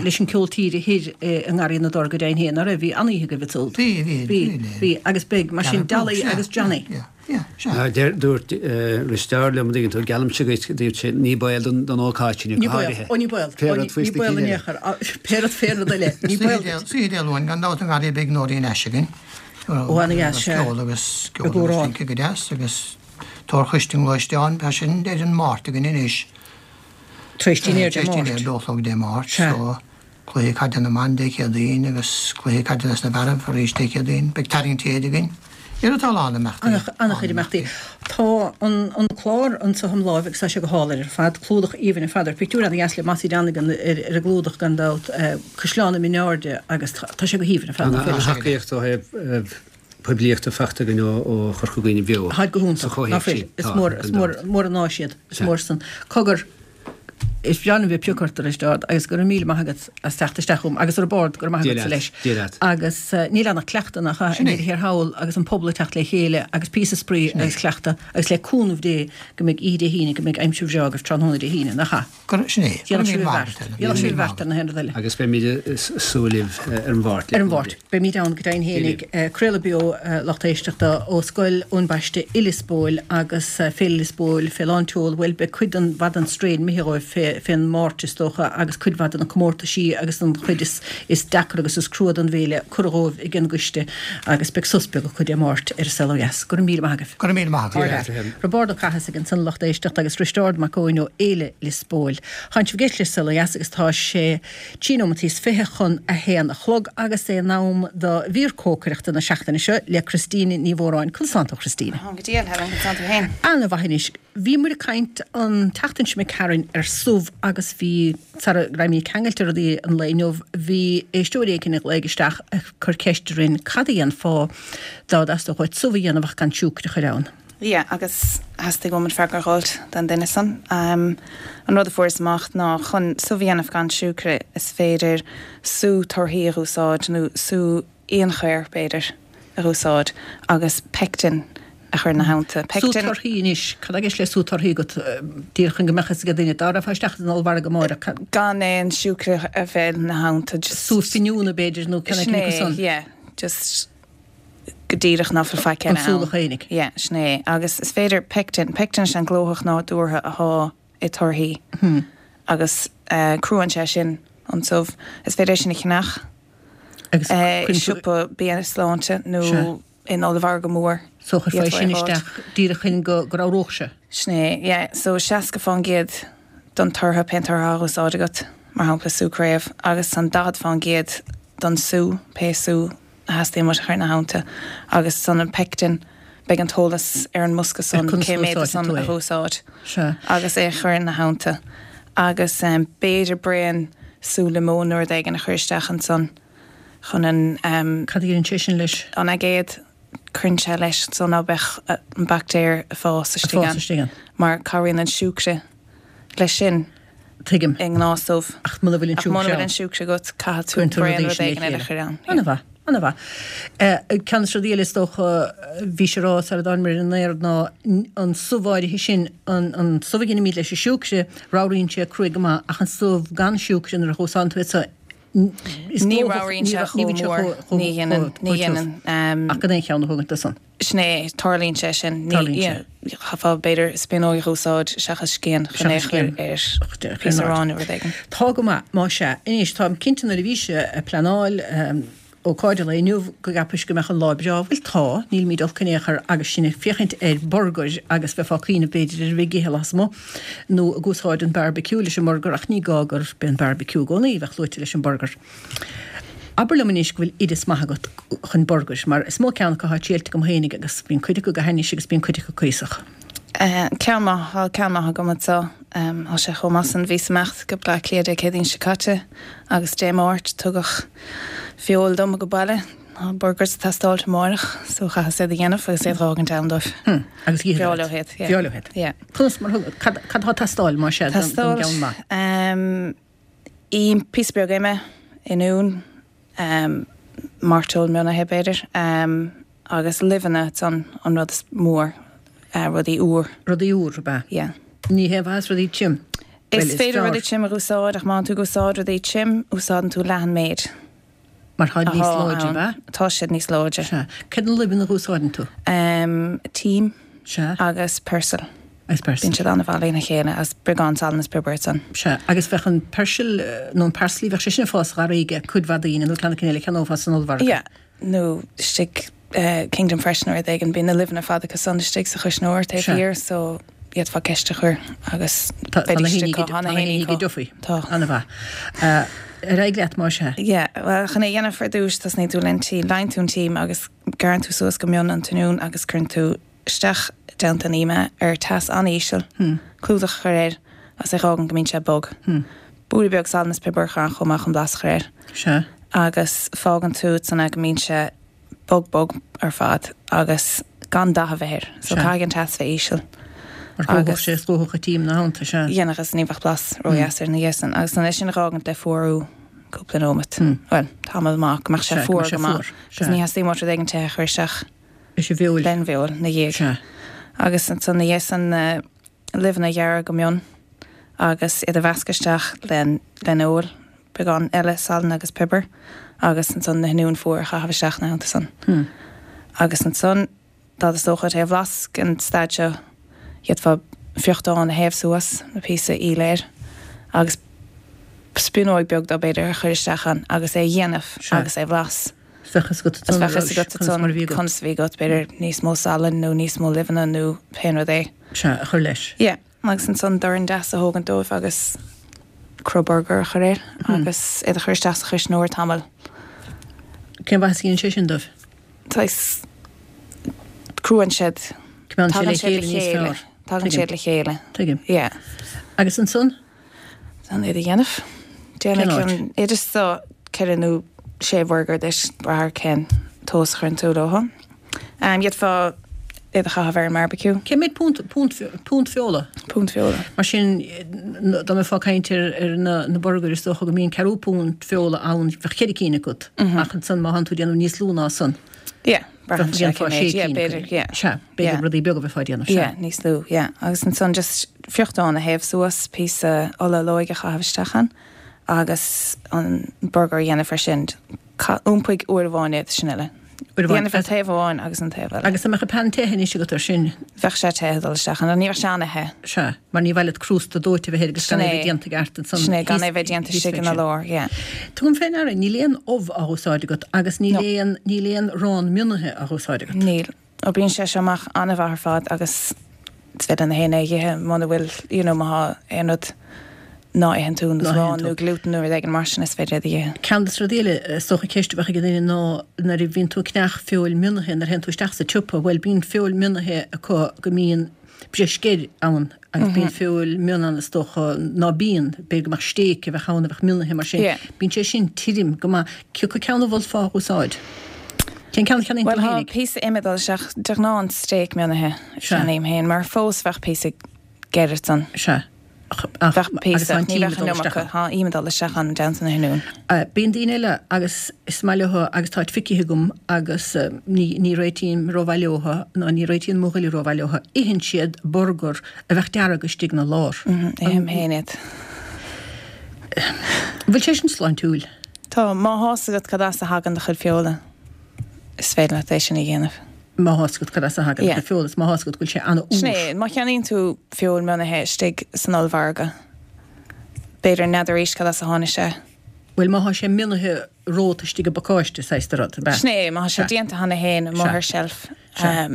S1: leis an ceol tíre thoir i nGarraí na dTor go deimhin féin, ná raibh? Bhí an-oíche agaibh ansúd.
S4: Bhí, bhí,
S1: bhí, bhí agus beidh, mar sin Dolly agus Johnny.
S3: Dúirt Risteárd liom, an dtuigeann tú, geallaimse dhuit, dúirt sé, ní baol don ócáid sin
S1: go háirithe. Ó ní baol, ní baol in aon chor, pé rud fé rud eile,
S4: ní baol duit. Oíche Dé Luain gan dabht i nGarraí beidh Nóirín Ashe againn.
S1: Ó ana-dheas,
S4: sea. Ceol agus ceol agus rince go deas agus Torchoiste an Ghluaisteáin, tá sin ar an Máirt againn anois.
S1: Tar éis dinnéir Dé
S4: Máirt. Tar éis dinnéir, dó a chlog Dé Máirt. Sea. So, cluiche caide na mban Dé Céadaoin agus cluiche caide dos na fearaibh arís Dé Céadaoin. Beidh tarraingt téide againn. Ar tá a lán
S1: imeachtaí. An-chuid imeachtaí. Tá an clár anseo im láimh agus tá sé go hálainn ar fad. Clúdach aoibhinn ar fad air. Pictiúr ana-dheas le Mossie Donegan ar an gclúdach gan dabht. Caisleán na Airde agus tá sé go haoibhinn ar fad.
S3: An-tacaíocht ó thaobh poiblíochta faighte againn ó Chorca Dhuibhne Bheo.
S1: Táid go hiontach, ná fuil? Is mór, is mór, mór an áis iad. Is mór san. Cogar, is breá liom bheith ag piocadh ort a Risteárd agus go raibh míle maith agat as teacht isteach chugam agus a Roibeárd, go raibh maith agatsa leis.
S3: Dia leat.
S1: Agus níl ann ach cleachtadh nach ea, i ndeireadh thiar thall agus an pobal ag teacht le chéile agus píosa spraoi agus cleachtadh agus le cúnamh Dé go mbeidh oíche Dé hAoine, go mbeidh aimsir bhreá agaibh tráthnóna Dé hAoine, nach ea?
S4: Sin é.
S1: Déanfaidh sibh an bheart. Déanfaidh sibh an bheart ar na haon rud eile.
S3: Agus beimid ag súil libh ar an Mháirt.
S1: Ar an Mháirt. Beimid ann go deimhin fhéinig. Craoladh beo, lucht éisteachta, ó Scoil Eoin Baiste i Lios Póil agus Féile Lios Póil fé lán tseol. Bhuel, beidh cuid den mhaith den straidhn imithe dhóibh fé fén Máirt is dócha agus cuid mhaith de na comórtaisí agus an chuid is is deacra agus is crua den bhféile curtha dhóibh ag an gcoiste agus beidh sos beag acu Dé Máirt ar an Saol Ó Dheas. Go raibh míle maith agaibh.
S4: Go raibh míle maith agat.
S1: Roibeárd Ó Cathasaigh ansan a lucht éisteachta agus Risteárd Mac Eoin ó Fhéile Lios Póil. Tánn sibh ag éisteacht le Saol Ó Dheas agus tá sé trí nóimeataí is 20 chun a haon a chlog agus é in am do mhír cócaireachta na seachtaine seo le Christina Ní Mhóráin. Conas tánn tú a Christina?
S5: Táim go diail, Helen, conas tánn tú
S1: féin? Ana mhaith anois. Bhí muid ag caint an tseachtain seo imigh tharainn ar subh. agus bhí, sara raibhimid ceangailte rudaí an lae inniu, bhí éisteoirí éicint a ghlaoigh isteach ag cur ceist orainn cad a dhéanfá dá dteastódh uait subh a dhéanamh ach gan siúcra a chur ann.
S5: Yeah, agus theastaigh uaim an freagra a dh'fháilt don duine san. An rud a fuaireas amach ná chun subh a dhéanamh gan siúcra is féidir sú torthaí a dh'úsáid nó sú fhíonchaor, b'fhéidir, a dh'úsáid agus pectin a chur ina theannta.
S1: Sú
S5: Pectin.
S1: torthaí anois, cad tá i gceist le sú torthaí agat? Díreach chun go mbeadh fhios ag duine, dá rachfá isteach san ollmhargadh amárach, cad.
S5: Gan aon siúcra a bheith ina theannta, just.
S1: Sú finiúna, b'fhéidir, nó ceann
S5: Sin
S1: éicint acu
S5: é,
S1: san.
S5: yeah, just go díreach ná fuil faic
S1: An
S5: eile
S1: sú
S5: ann.
S1: féinig.
S5: Yeah, sin é. Agus is féidir pectin, pectin is ea an glóthach nádúrtha athá i torthaí agus cruaíonn sé sin an subh. Is féidir é sin a cheannach.
S1: Agus
S5: i siopa bia sláinte nó in ollmhargadh mór.
S1: So chuirfeá sin isteach díreach chun go ramhródh sé.
S5: Sin é, yeah. So 60% don tortha, pén tortha atá á úsáid agat, mar shampla sú craobh, agus an 40% don sú, pé sú a theastaíonn uait a chur ina theannta. Agus san an pectin, beidh an t-eolas ar an mbosca san cé méad de san a dh'úsáid agus é a chur ina theannta. Agus b'fhéidir braon sú liomóin nó rud éigin a chur isteach ansan chun an.
S1: Cad a dhéanann sé sin leis?
S5: An aigéad, cuireann sé leis so ná beadh an baictéar ag fás istigh ann. Mar cabhraíonn an siúcra leis sin.
S1: Tuigim.
S5: I ngnáth-subh.
S1: Ach muna bhfuil an
S5: siúcra ann. Ach muna bhfuil an siúcra agat, caithfidh tú braon rud éigin eile a chur ann.
S1: Ana-mhaith, ana-mhaith. Ceann de na rudaí eile is dócha, bhís ag rá sara dtánamar ar an aer ná an subh áirithe sin, an subh a dheinimid leis an siúcra, ramhraíonn sé cruaidh go maith ach an subh gan siúcra nuair a dh'úsáideann tú é so, is
S5: Ní
S1: dócha,
S5: ramhraíonn sé chomh mór, ní dhéanann, ní dhéanann.
S1: Ach gan aon cheann a thógaint de san.
S5: Sin é, tarlaíonn sé sin.
S1: Tarlaíonn sé.
S5: Chaithfeá, b'fhéidir, spíonóg a dh'úsáid seachas scian chun é a chur ar phíosa aráin nó rud éigin.
S1: Tá go maith, más ea. Anois, táim cinnte nuair a bhís ag pleanáil ócáid an lae inniu go gceapais go mbeadh an lá breá. Bhuel tá, nílimid olc in aon chor agus sinn ag féachaint ar burgair agus bheifeá ag cuimhneamh b'fhéidir ar a bheith ag ithe lasmuigh nó ag úsáid an barbecue leis an mburgar ach ní gá gurb é an barbecue i gcónaí a bheadh luaite leis an burgar. Abair liom anois go bhfuil oideas maith agat chun burgair, mar is mó ceann acu atá triailte agam fhéinig agus bíonn cuid acu go hainnis agus bíonn cuid acu cuíosach.
S5: Ceann maith, tá ceann maith agam anseo. Tá sé chomh maith san. Bhíos ag imeacht go Bleá Cliath Dé Céadaoin seo caite agus Dé Máirt tugadh feoil dom go baile. Tá burgers ag teastáilt amáireach so chaitheas iad a dhéanamh agus iad dh'fhágaint ann dóibh.
S1: Agus
S5: Bhreá leo iad, yeah.
S1: Bhreá leo iad.
S5: Yeah.
S1: Conas mar thug, cad atá ag teastáil más ea don gceann maith?
S5: Teastáil, Im, píosa beag ime, oinniún, mairteoil mhionnaithe b'fhéidir, agus luibheanna ansan an rud is mór, rudaí úr.
S1: Rudaí úr, ab ea?
S5: Yeah.
S1: Ní haon mhaitheas rudaí tirim?
S5: Bhuel, is féidir rudaí tirim a dh'úsáid ach má tánn tú ag úsáid rudaí tirim, úsáideann tú leath an méid.
S1: Mar táid níos láidre, ab ea?
S5: Tá siad níos láidre.
S1: Sea. Céard na luibheanna a dh'úsáideann tú?
S5: Tím.
S1: Sea.
S5: Agus peirsil.
S1: Agus peirsil.
S5: Bíonn siad an-mhaith lena chéile agus beagán salainn is piobar ansan.
S1: Sea. Agus bheadh an peirsil, nó an parsley, bheadh sé sin ag fás sa gharraí ag cuid mhaith daoine, nó ceann éicint eile a cheannófá san ollmhargadh.
S5: Yeah. Nó istigh Kingdom Fresh nó rud éigin, bíonn na luibheanna ar fad acu san istigh sa chuisneoir taobh thiar so d'fhéadfá ceist a chur agus
S1: beidís acu, tá na héinní go dtiocfaidh.
S5: Tá.
S1: An-mhaith. Ar aghaidh leat más ea.
S5: Yeah, bhuel chun é a dhéanamh ar dtús tosnaíonn tú len tím, leánn tú an tím agus gearrann tú suas go mion an t-oinniún agus cuireann tú isteach i dteannta an ime ar teas an-íseal, clúdach a chur air agus é dh'fhágaint go mbíonn sé bog. Blúire beag salainn is piobair a chur ann chomh maith chun blas a chur air.
S1: Sea.
S5: Agus fágann tú ansan é go mbíonn sé bog bog ar fad agus gan dath a bheith air. So caithfidh an teas bheith íseal.
S1: Mar dhófadh sé is dhófadh an tím ina theannta, sea.
S5: Dhéanfadh is ní bheadh blas ródheas air ina dhiaidh san. Agus ansan é sin a dh'fhágaint le fuarú cúpla nóimeat. Bhuel, tamall maith, go mbeadh sé fuar go maith. Agus ní theastaíonn uait rud éigin te a chur isteach.
S1: Leis an bhfeoil.
S5: Len bhfeoil ina dhiaidh.
S1: Sea.
S5: Agus ansan ina dhiaidh san na luibheanna a ghearradh go mion agus iad a mheascadh isteach len fheoil, beagán eile salainn agus piobair agus ansan na hoinniúin fuar a chaitheamh isteach ina theannta san. Agus ansan dá dteastódh uait é a bhlas ag an staid seo d'fhéadfá friochtán a théamh suas le píosa aoil air agus spíonóig beag dó b'fhéidir a chur isteach ann agus é a dhéanamh agus é a bhlas.
S1: Bheadh fhios agat
S5: ansan bheadh fhios agat ansan conas a bhí agat, b'fhéidir níos mó salainn nó níos mó luibheanna nó pé rud é.
S1: Sea, a chur leis.
S5: Yeah. Agus ansan dorn deas a thógaint dóibh agus cruth burger a chur air agus iad a chur isteach sa chuisneoir tamall.
S1: Cén mhaitheas a dhéanann sé sin dóibh?
S5: Saghas, cruaíonn siad.
S1: Coimeádann siad le chéile níos fearr.
S5: Tagann siad le chéile.
S1: Tuigim.
S5: Yeah.
S1: Agus ansan?
S5: An iad a dhéanamh. Déanfaidh an oideas seo 4 nó 6 bhurgar duit, brath ar cén tomhas a chuireann tú leo. D'fhéadfá iad a chaitheamh ar an mbarbecue.
S1: Cé mhéad punt, punt, punt feola?
S5: Punt feola.
S1: Mar sin, dá mbeifeá ag caint ar, ar na, na burgair, is dócha go mbíonn ceathrú punt feola ann, bheadh ceithre cinn agat. Ach ansan má thánn tú ag déanamh níos lú ná san.
S5: Yeah. Braitheann sé cén méid, yeah, b'fhéidir, yeah.
S1: Sea, b'fhéidir rudaí beaga a bheifeá ag déanamh, sea.
S5: Yeah, níos lú, yeah. Agus ansan just friochtán a théamh suas, píosa ola olóige a chaitheamh isteach ann agus an burgar a dhéanamh air sin. Iompaigh uair amháin iad, sin uile. Uair amháin. Déanamh an taobh amháin agus an taobh eile.
S1: Agus an mbeadh an pan te anois agat air sin?
S5: Bheadh sé te ag dul isteach ann, ní bheadh sé ana-the.
S1: Sea, mar ní mhaith leat crústa dóite a bheith air agus gan é a bheith déanta i gceart
S5: ansan. Sin é, gan é a bheith déanta istigh ina lár, yeah.
S1: Tugaim fé ndeara, níl aon ubh á húsáid agat agus níl aon, níl aon arán mionaithe á húsáid agat.
S5: Níl. Oibríonn sé seo amach an-mhaith ar fad agus is féidir le haon duine é a dh'ithe muna bhfuil, you know, má thá aon rud ná itheann tú, nó arán nó glútan nó rud éigin mar sin, is féidir iad a dh'ithe.
S1: Ceann de na rudaí eile, is dócha ceist a bheadh ag an duine ná nuair a bhíonn tú ag ceannach feoil mionaithe, nuair a théann tú isteach sa tsiopa, bhuel bíonn feoil mionaithe acu go mbíonn breis geir ann agus bíonn feoil mion ann is dócha ná bíonn, b'fhéidir go mbeadh stéic a bheadh ann a bheadh mionaithe mar sin. Bíonn sé sin tirim go maith. Cé acu ceann a mholfá a úsáid? Cén ceann a cheannaíonn tú
S5: Bhuel, tá píosa im ag dul isteach, de ghnáth an stéic mionaithe a cheannaím féin, mar fós bheadh píosa geir ansan.
S1: Sea.
S5: Ach, Bheadh píosa, ach ní bheadh an iomarca. Tá im ag dul isteach ann i dteannta na hoinniún.
S1: Bíonn daoine eile agus is maith leo agus táid feicthe agam agus ní, ní réitím rómhaith leo ná ní réitíonn mo dhuine rómhaith leo, itheann siad burgar a bheadh dearg istigh ina lár.
S5: Ithim féin iad.
S1: Bhfuil sé sin sláintiúil?
S5: Tá, má thá's agat cad as a thagann do chuid feola, is féidir leat é sin a dhéanamh.
S1: Má thá's agat cad as a thagann do chuid feola, is má thá's agat go bhfuil sé an-úr.
S5: Sin é, má cheannaíonn tú feoil mionaithe istigh san ollmhargadh, b'fhéidir n'fheadar arís cad as a tháinig sé.
S1: Bhuel, má thá sé mionaithe romhat istigh i bpacáiste, saghas de rud, ab ea?
S5: Sin é, má thá sé déanta cheana féin amuigh ar seilf,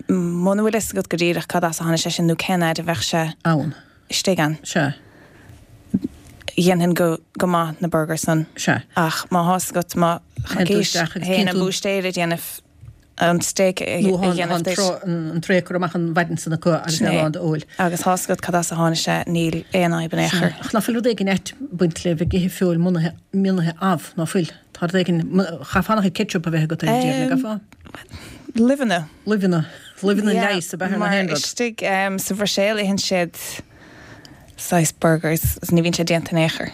S5: muna bhfuil fhios agat go díreach cad as a tháinig sé sin nó cén fhaid a bheadh sé
S1: ann.
S5: istigh ann.
S1: Sea.
S5: Dhéanfainn go go maith na burgers san.
S1: Sea.
S5: Ach má thá's agat, má
S1: coicís
S5: théann an búistéir ag déanamh an steak a dhéanamh
S1: duit. Nó an tray curtha amach an mhaidin san acu agus é lán d'fheoil.
S5: Agus thá's agat cad as a tháinig sé, níl aon fhadhb in aon chor.
S1: Ach ná fuil rud éigin ait ag baint le bheith ag ithe feoil mionaithe, mionaithe amh, ná fuil? Tá rud éigin, chaithfeá an-chuid ketchup a bheith agat ar an deireadh, an gcaithfeá?
S5: Luibheanna.
S1: Luibheanna. Luibheanna leighis ab ea thar na haon
S5: rud. Mar istigh sa Bhruiséil itheann siad saghas burgers agus ní bhíonn sé déanta in aon chor.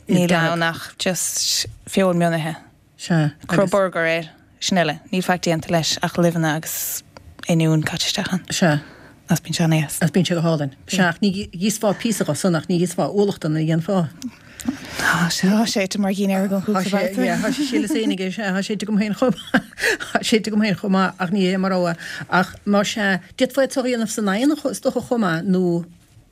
S5: Níl ann ach just feoil mionaithe.
S1: Sea.
S5: Cruth burger air, sin uile. Níl faic déanta leis ach luibheanna agus oinniún caite isteach ann.
S1: Sea.
S5: Agus bíonn sé
S1: an-deas. Agus bíonn sé go hálainn. Sea, ach ní dh'íosfá píosa dho san ach ní dh'íosfá ualach de, an ndéanfá?
S5: Tá sé ite mar dhinnéar agam cúpla babhta.
S1: Yeah, tá sé síleas féin aige, sea, tá sé ite agam féin chomh maith, tá sé ite agam féin chomh maith ach ní hé mo rogha. Ach má sea, d'fhéadfá é a dhéanamh san oigheann is dócha chomh maith nó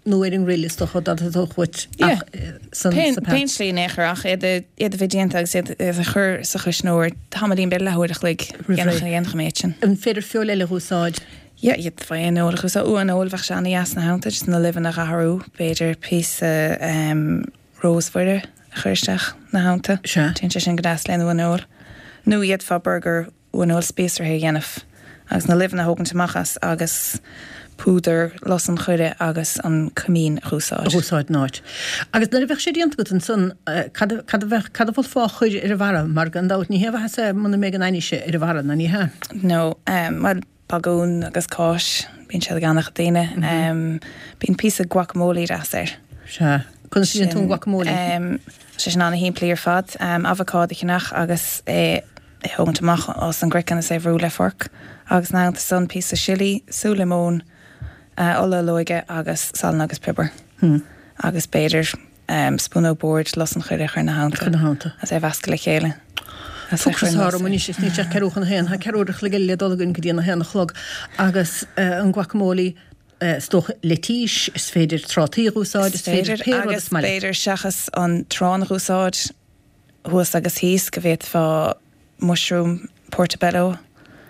S1: nó ar an ngrille is dócha dá dtosódh uait
S5: ach san sa pan. Pén slí in aon chor ach iad a iad a bheith déanta agus iad a chur sa chuisneoir tamaillín b'fhéidir leathuair a chloig dhéanfadh mé iad sin.
S1: An féidir feoil eile a úsáid?
S5: Yeah, d'fhéadfá aon fheoil a úsáid. Uan fheoil, bheadh sé ana-dheas ina theannta, just na luibheanna a dh'athrú, b'fhéidir píosa rósmhaire a chur isteach ina theannta.
S1: Sea.
S5: Téann sé sin go deas lena uan fheoil. Nó d'fhéadfá burgar uan fheoil spíosraithe a dhéanamh agus na luibheanna a thógaint amach as agus púdar lus an choire agus an coimín a
S1: dh'úsáid. A dh'úsáid in áit. Agus nuair a bheadh sé déanta agat ansan, cad a, cad a bheadh, cad a mholfá a chur ar a bharra? Mar gan dabht ní haon mhaitheas é muna mbeidh an ainnise ar a bharra, ná ní hea?
S5: No, bhuel, Bagún agus cáis, bíonn siad ag an-chuid daoine. Bíonn píosa guacamole deas air.
S1: Sea. Conas a dhéanann tú an guacamole?
S5: Tá sé sin ana-shimplí ar fad. Avocado a cheannach agus é a thógaint amach as an gcraiceann is é a bhrú le forc. Agus ina theannta san, píosa sillí, sú liomóin, ola olóige agus salann agus piobar. Agus b'fhéidir spúnóg boird lus an choire a chur ina theannta agus é a mheascadh le chéile.
S1: Ocras atá orm anois is níl sé ach ceathrú chun a haon. Tá ceathrú uair a chloig eile le dul againn go dtí an a haon a chlog agus an guacamole is dócha leitís, is féidir trátaí a dh'úsáid,
S5: is féidir pé rud is maith leat. Agus b'fhéidir seachas an t-arán a dh'úsáid thuas agus thíos go bhféadfá mushroom portobello.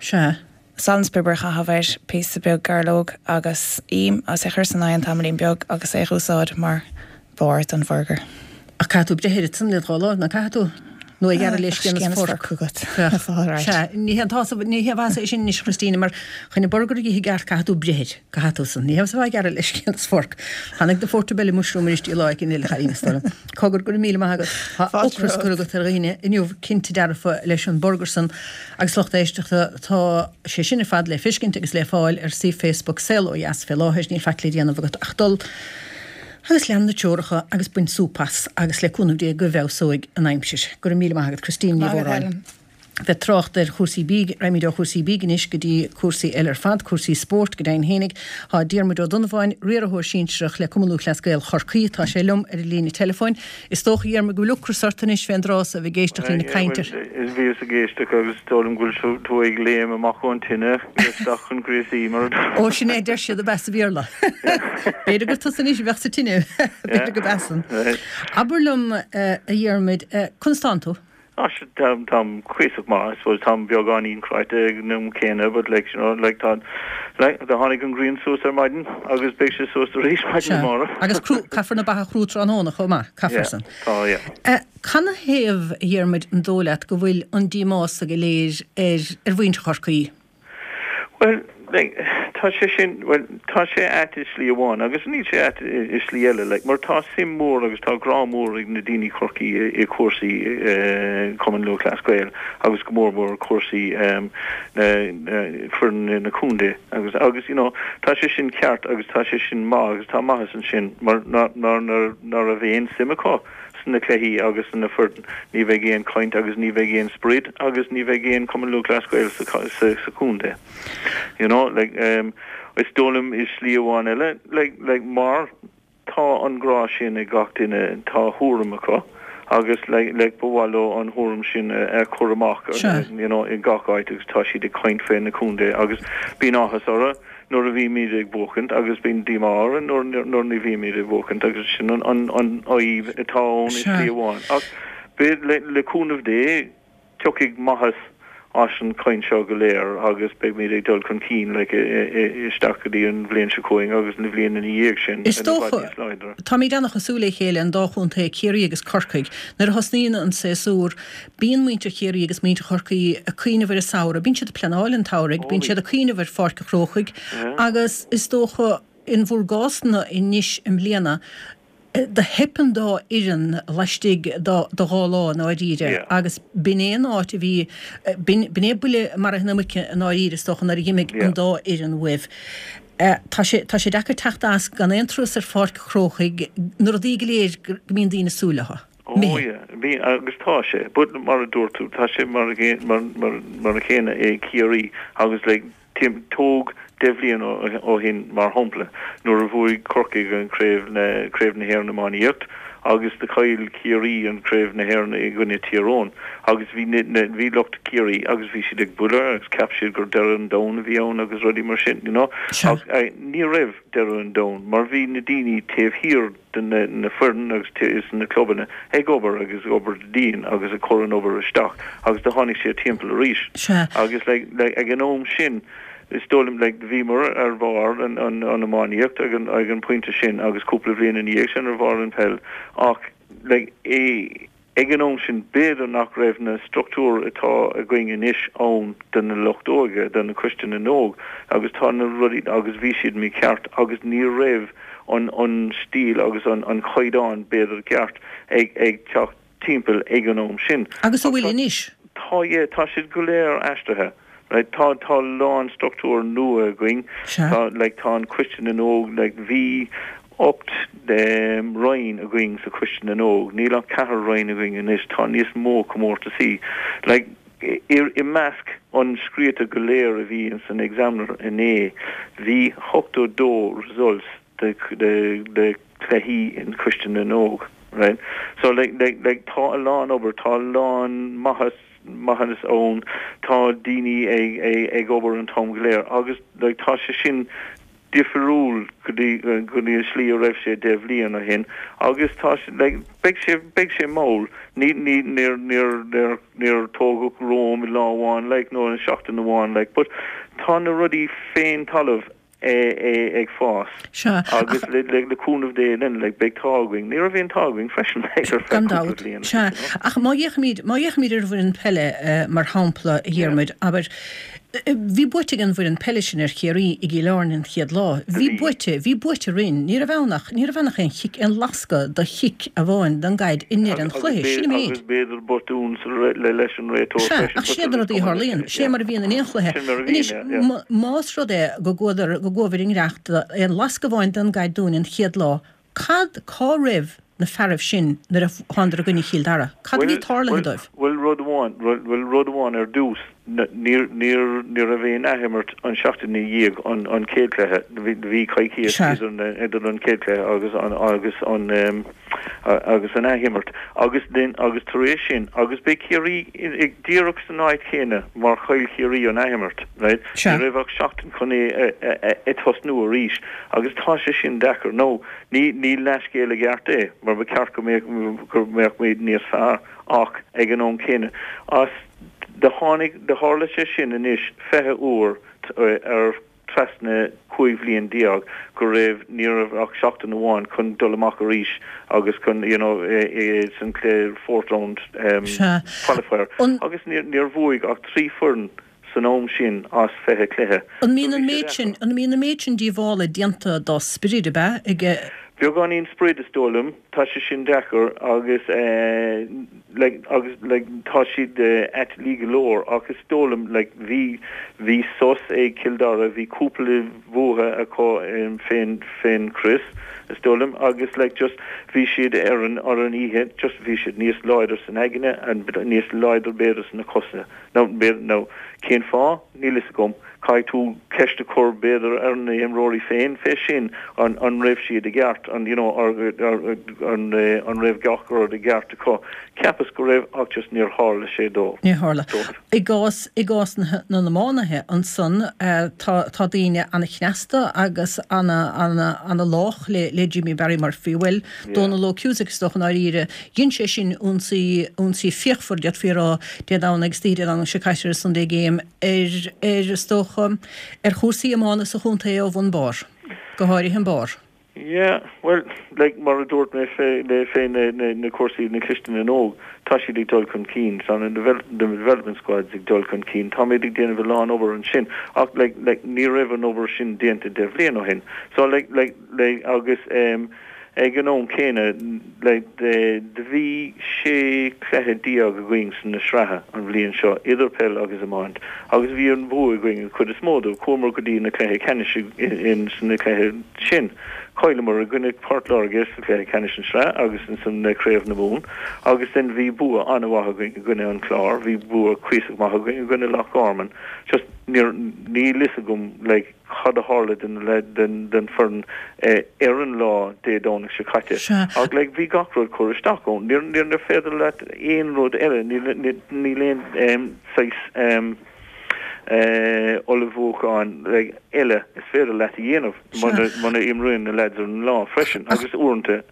S1: Sea.
S5: Salann 's piobar a chaitheamh air, píosa beag gairleog agus im agus é a chur san oigheann tamaillín beag agus é a dh'úsáid mar bharr don bhurgar.
S1: Ach caithfidh tú breith air ansan le dhá láimh, ná caithfidh tú? Nó é a ghearradh le scian is forc.
S5: agat. Bheadh.
S1: Sea. Ní hé an t-ás, ní haon mhaitheas é sin anois, a Christina, mar chun an burgar a dh'ithe i gceart caithfidh tú breith air. Caithfidh tú san. Ní haon mhaitheas a bheith á ghearradh le scian is forc. Tháinig do portobello mushroom arís lá éicint eile, a chailín, is dóigh liom. Cogar, go raibh míle maith agat. Tá ocras curtha agat ar dhaoine inniu, cinnte dearfa, leis an burgar san. Agus lucht éisteachta, tá sé sin ar fad le feiscint agus le fáil ar suíomh Facebook Saol Ó Dheas fé láthair. Níl faic le déanamh agat ach dul agus lean na treoracha agus bain súp as agus le cúnamh Dé go bhfeabhsóidh an aimsir. Go raibh míle maith agat Christine Ní Mhóráin. Bheith trácht ar chúrsaí bídh, raghaimid ó chúrsaí bídh anois go dtí cúrsaí eile ar fad, cúrsaí spóirt go deimhin fhéinig. Tá Diarmuid Ó Donnabháin, riarthóir sinsearach le Cumann Lúthchleas Gael Chorcaí, tá sé liom ar an líne teileafóin. Is dócha, a Dhiarmuid, go bhfuil ocras ort anois fén dtráth so a bheith ag éisteacht linn ag caint ar.
S6: Bhuel, bhíos ag éisteacht agus is dóigh liom go bhfuil tú ag léim amach ón tine isteach chun gríosaí mar a.
S1: Ó, sin é a deir siad ab ea sa Bhéarla. B'fhéidir gur tusa anois a bheadh sa tine. B'fhéidir go b'ea san. Abair liom, a Dhiarmuid, conas tánn tú?
S6: Ah, sure, táim, táim cuíosach maith, I suppose, táim beagáinín cráite ag an am céanna, but like, you know, like tá, like, do tháinig an ghrian suas ar maidin agus beidh sé suas arís maidin
S1: Sea,
S6: amárach.
S1: agus crú, caithfear na ba a chrú tráthnóna chomh maith, caithfear
S6: Yeah,
S1: san.
S6: tá, yeah.
S1: Eh, canathaobh, a Dhiarmuid, an dóigh leat go bhfuil an díomá so go léir ar, ar mhuintir Chorcaí?
S6: Bhuel, like, tá sé sin, bhuel, tá sé ait i slí amháin agus níl sé ait i slí eile, like, mar tá suim mór agus tá grá mór ag na daoine Chorcaí i, i cúrsaí eh, Cumann Lúthchleas Gael agus go mór mór cúrsaí em, na, na, foireann na contae agus, agus, you know, tá sé sin ceart agus tá sé sin maith agus tá maitheas ansin mar ná, ná, ná, ná raibh aon suim acu sna cluichí agus sna foireann, ní bheidh aon chaint agus ní bheidh aon sprid agus ní bheidh aon Cumann Lúthchleas Gael sa sa chontae. You know, like, um, is dóigh liom i slí amháin eile, like, like, mar tá an grá sin ag gach duine, tá thuairim acu agus like, like, ba mhaith leo an thuairim sin a, a chur amach, you know, i gach áit agus tá siad ag caint fé na contae agus bíonn áthas orthu. nuair a bhímid ag buachaint agus bíonn díomá orainn nuair nuair ní bhímid ag buachaint agus sin an an an fhadhb atá ann i slí amháin. Ach beidh le le cúnamh Dé tiocfaidh maitheas as an chaint seo go léir agus beimid ag dul chun cinn like isteach go dtí an bhliain seo chugainn agus na bhliain ina dhiaidh sin
S1: Is dócha, táimid an-chosúil le chéile, an dá chontae, Ciarraí agus Corcaigh. Nuair a thosnaíonn an séasúr, Bíonn muintir Chiarraí agus muintir Chorcaí ag cuimhneamh ar an samhradh, bíonn siad ag pleanáil an tsamhraidh, bíonn siad ag cuimhneamh ar Pháirc an Chrócaigh agus is dócha in bhur gcásanna anois i mbliana, do theip an dá fhoireann laistigh de dhá lá i ndáiríre agus b'in é an áit a bhí, b'in é buille maraithe na muice i ndáiríre is dócha nuair a dh'imigh an dá fhoireann uaibh. Tá sé, tá sé deacair teacht as gan aon turas ar Pháirc an Chrócaigh, na rudaí go léir go mbíonn daoine ag súil leo.
S6: Oh yeah, bhí agus tá sé, but mar a dúirt tú, tá sé mar mar mar mar a chéanna i Ciarraí agus like tim tóg deich bhliain ó shin mar shampla nuair a bhuaigh Corcaigh an craobh na craobh na hÉireann iománaíocht agus do chaill Ciarraí an craobh na hÉireann i gcoinne Tír Eoghain agus bhí na na bhí lucht Ciarraí agus bhí siad ag bualadh agus cheap siad gur deireadh an domhain a bhí ann agus rudaí mar sin you know ach ní raibh deireadh an domhain mar bhí na daoine taobh thiar de na foireann agus is na clubanna ag obair agus ag obair dian agus ag cur an obair isteach agus do tháinig siad timpeall arís.
S1: Sea.
S6: Agus like like ag an am sin is dóigh liom like bhíomar ar bharr an an an iománaíocht ag an ag an pointe sin agus cúpla bhliain ina dhiaidh sin ar bharr an peil ach like i Ag an am sin, b'fhéidir nach raibh na struchtúir atá againn anois ann do na lucht óige, do na Coiste na nÓg, agus tá na rudaí, agus bhí siad mícheart agus ní raibh an an stíl agus an an chaighdeán b'fhéidir ceart ag ag teacht timpeall ag an am sin.
S1: Agus an bhfuil anois?
S6: Tá, yeah, tá siad go léir aistrithe. Right, tá, tá a lán struchtúr nua againn.
S1: Sea.
S6: Tá, like, tá an Coiste na nÓg, like, bhí 8 roinn againn sa Choiste na nÓg, níl ach ceathair roinn againn anois, tá níos mó comórtasaí. Like, i, i measc an scríofa go léir a bhí ins an Examiner inné, bhí 82 results de, de, de cluichí in Coiste na nÓg, right? So, like, like, like, tá a lán obair, tá a lán maitheas, maitheas ann, tá daoine ag, ag, ag obair an t-am go léir agus, like, tá sé sin difriúil go dtí, go dtí an slí a raibh sé 10 bhliain ó shin agus tá sé, like, beidh sé, beidh sé mall, ní, ní, níor, níor, níor, níor tógadh Rome i lá amháin, like, nó i seachtain amháin, like, but tá na rudaí fén talamh. É ag fás.
S1: Sea,
S6: Agus le cúnamh Dé linn, like, beidh t-ádh againn. Ní raibh aon t-ádh againn freisin, like, ar feadh
S1: Gan
S6: cúpla
S1: dabht.
S6: bliain,
S1: Sea.
S6: you know.
S1: Ach má fhéachaimid, má fhéachaimid ar an bhfoireann peile, mar shampla, a Dhiarmuid, abair, bhí buaite ag an bhfoireann peile sin ar Chiarraí i gCill Airne an chéad lá. Bhí buaite, bhí buaite roinn. Ní raibh ann ach, ní raibh ann ach aon chic, aon lascadh de chic amháin don gcaid i ndeireadh an chluiche. Sin an méid.
S6: Agus b'fhéidir botún sa, le, leis an réiteoir
S1: Sea,
S6: freisin.
S1: ach sin iad na rudaí a tharlaíonn. Sin é mar a bhíonn in aon chluiche.
S6: Sin mar a bhíonn,
S1: Anois,
S6: yeah, yeah.
S1: más rud é go gcuadar, go gcuabhair i ngiorracht d'aon lascadh amháin don gcaid dúinn an chéad lá, cad, cá raibh na fearaibh sin nuair a thánadar i gcoinne Chill Dara? Cad a bhí tarlaithe dóibh?
S6: Bhuel, rud amháin, bhuel, rud amháin ar dtús, níor, níor, ní raibh aon athimirt an seachtain i ndiaidh an, an chéad chluiche. Bhí, bhí coicíos
S1: Sea.
S6: idir na, idir an chéad chluiche agus an, agus an, agus an athimirt agus then agus tar éis sin agus beidh Ciarraí díreach san áit chéanna mar chaill Ciarraí an athimirt right
S1: Sea.
S6: ní raibh ach seachtain chun é a tosnú arís agus tá sé sin deacair nó ní ní leathscéal i gceart é mar ba cheart go mbeadh go mbeadh muid níos fearr ach ag an am céanna as do tháinig do tharla sé sin anois 20 uair ar trasna 15 bhliain go raibh, ní raibh ach seachtain amháin chun dul amach arís agus chun you know san cluiche fourth round
S1: Sea.
S6: qualifier
S1: An.
S6: agus níor, níor bhuaigh ach 3 foireann san am sin as 20 cluiche.
S1: An
S6: So
S1: mbíonn
S6: bhí
S1: an
S6: sé
S1: méid
S6: deacair.
S1: sin, an mbíonn an méid sin díobhála déanta dá sprid, ab ea, ag.
S6: Beagáinín sprid is dóigh liom, tá sé sin deacair agus eh, like agus like tá siad aiteallaí go leor ach is dóigh liom like bhí bhí sos ag Cill Dara bhí cúpla bua acu fén fén crios is dóigh liom agus like just bhí siad ar an ar an oíche just bhí siad níos láidir san aigne and níos láidir b'fhéidir sna cosa now b'fhéidir now cén fáth níl fhios agam Caithfidh tú ceist a chur b'fhéidir ar na himreoirí féin fé sin, an an raibh siad i gceart, an you know an an raibh gach rud i gceart acu. Cheapas go raibh ach just níor tharla sé dóibh.
S1: Níor tharla. I gcás, i gcás na na n-iománaithe ansan tá tá daoine ana-chneasta agus ana ana ana-lách le le Jimmy Barry Murphy. Bhuel, Dónal Óg Cusack is dócha i ndáiríre. Dhein sé sin ionsaí ionsaí fíochmhar d'fhéadfaí a rá Dé Domhnaigh agus oíche Dé Domhnaigh seo caite ar an Sunday Game. ar, ar, is dócha, ar chúrsaí iomána sa chontae ó bhun barr, go háirithe an barr.
S6: Yeah, bhuel, like, mar a dúirt mé fé, le, fé na, na, na cúrsaí, na Coiste na nÓg, tá siad ag dul chun cinn, tá na develop, na development squads ag dul chun cinn, táimid ag déanamh a lán obair ansin, ach like, like, ní raibh an obair sin déanta deich bhliain ó shin. So, like, like, like, agus, em, Ag an am céanna, do bhí 16 cluiche againn sna sraithe an bhliain seo, idir peil agus iomáint, agus bhí an bua againn an chuid is mó dóibh. Chuamar go dtí na cluiche ceannais in sna cluiche sin. Chailleamar i gcoinne Port Láirge sa chluiche ceannais an sraith agus insan Craobh na Mumhan agus then bhí bua an-mhaith againn i gcoinne an Clár, bhí bua cuíosach maith againn i gcoinne Loch Garman. Just níor, níl fhios agam like, cad a tharla den den foireann ar an lá Dé Domhnaigh seo caite.
S1: Sea.
S6: Ach like bhí gach rud curtha isteach ann. Níor níor féidir leat aon rud eile, níl níl aon saghas ullmhúchán like eile is féidir leat a dhéanamh muna muna imríonn na lads ar an lá freisin. Agus uaireanta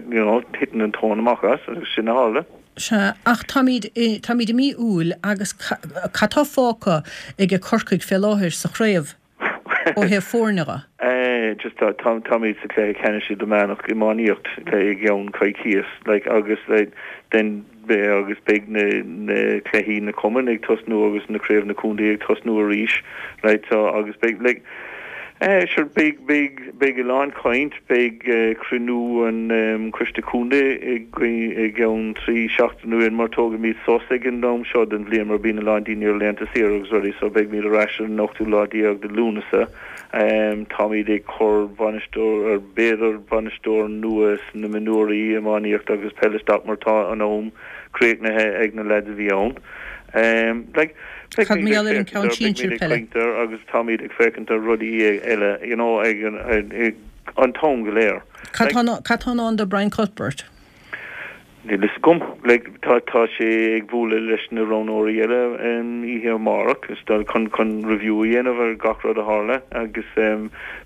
S6: you know titeann an tóin amach as agus sin a tharla.
S1: Sea, ach táimid, táimid i mí Iúil agus cad tá fágtha ag Corcaigh fé láthair sa chraobh ó thaobh foirne
S6: dhe? Just tá, tá, táimid sa chluiche ceannais idirmheánach iománaíocht i gceann coicíos, like, agus then agus beidh na, na cluichí na cumainn ag tosnú agus na craobh na contae ag tosnú arís, right, so agus beidh, like, Eh, sure, beidh, beidh, beidh a lán caint, beidh cruinniú an Choiste Contae i gceann 3 seachtain uainn mar tógaimid sos ag an am seo den bhliain mar bíonn a lán daoine ar laethanta saoire agus rudaí so beidhmid ar ais ar an ochtú lá déag de Lúnasa. Táimid ag cur bainisteoir, b'fhéidir bainisteoir nua sna mionúirí iománaíocht agus peil isteach mar tá an am críochnaithe ag na leaids a bhí ann. Like,
S1: Cad
S6: beidh
S1: mar
S6: muid
S1: gheall
S6: ag
S1: ar an
S6: féachaint
S1: ceann
S6: ar, beidh
S1: sinsir
S6: muid ag
S1: peile?
S6: caint ar agus táimid ag féachaint ar rudaí eile, you know, ag an, ag an t-am go léir.
S1: Cad
S6: Like,
S1: tá, cad tá i ndán do Brian Cuthbert?
S6: Níl fhios agam. Like, tá, tá sé ag bualadh leis na roghnóirí eile oíche amárach is dul chun, chun review a dhéanamh ar gach rud a tharla agus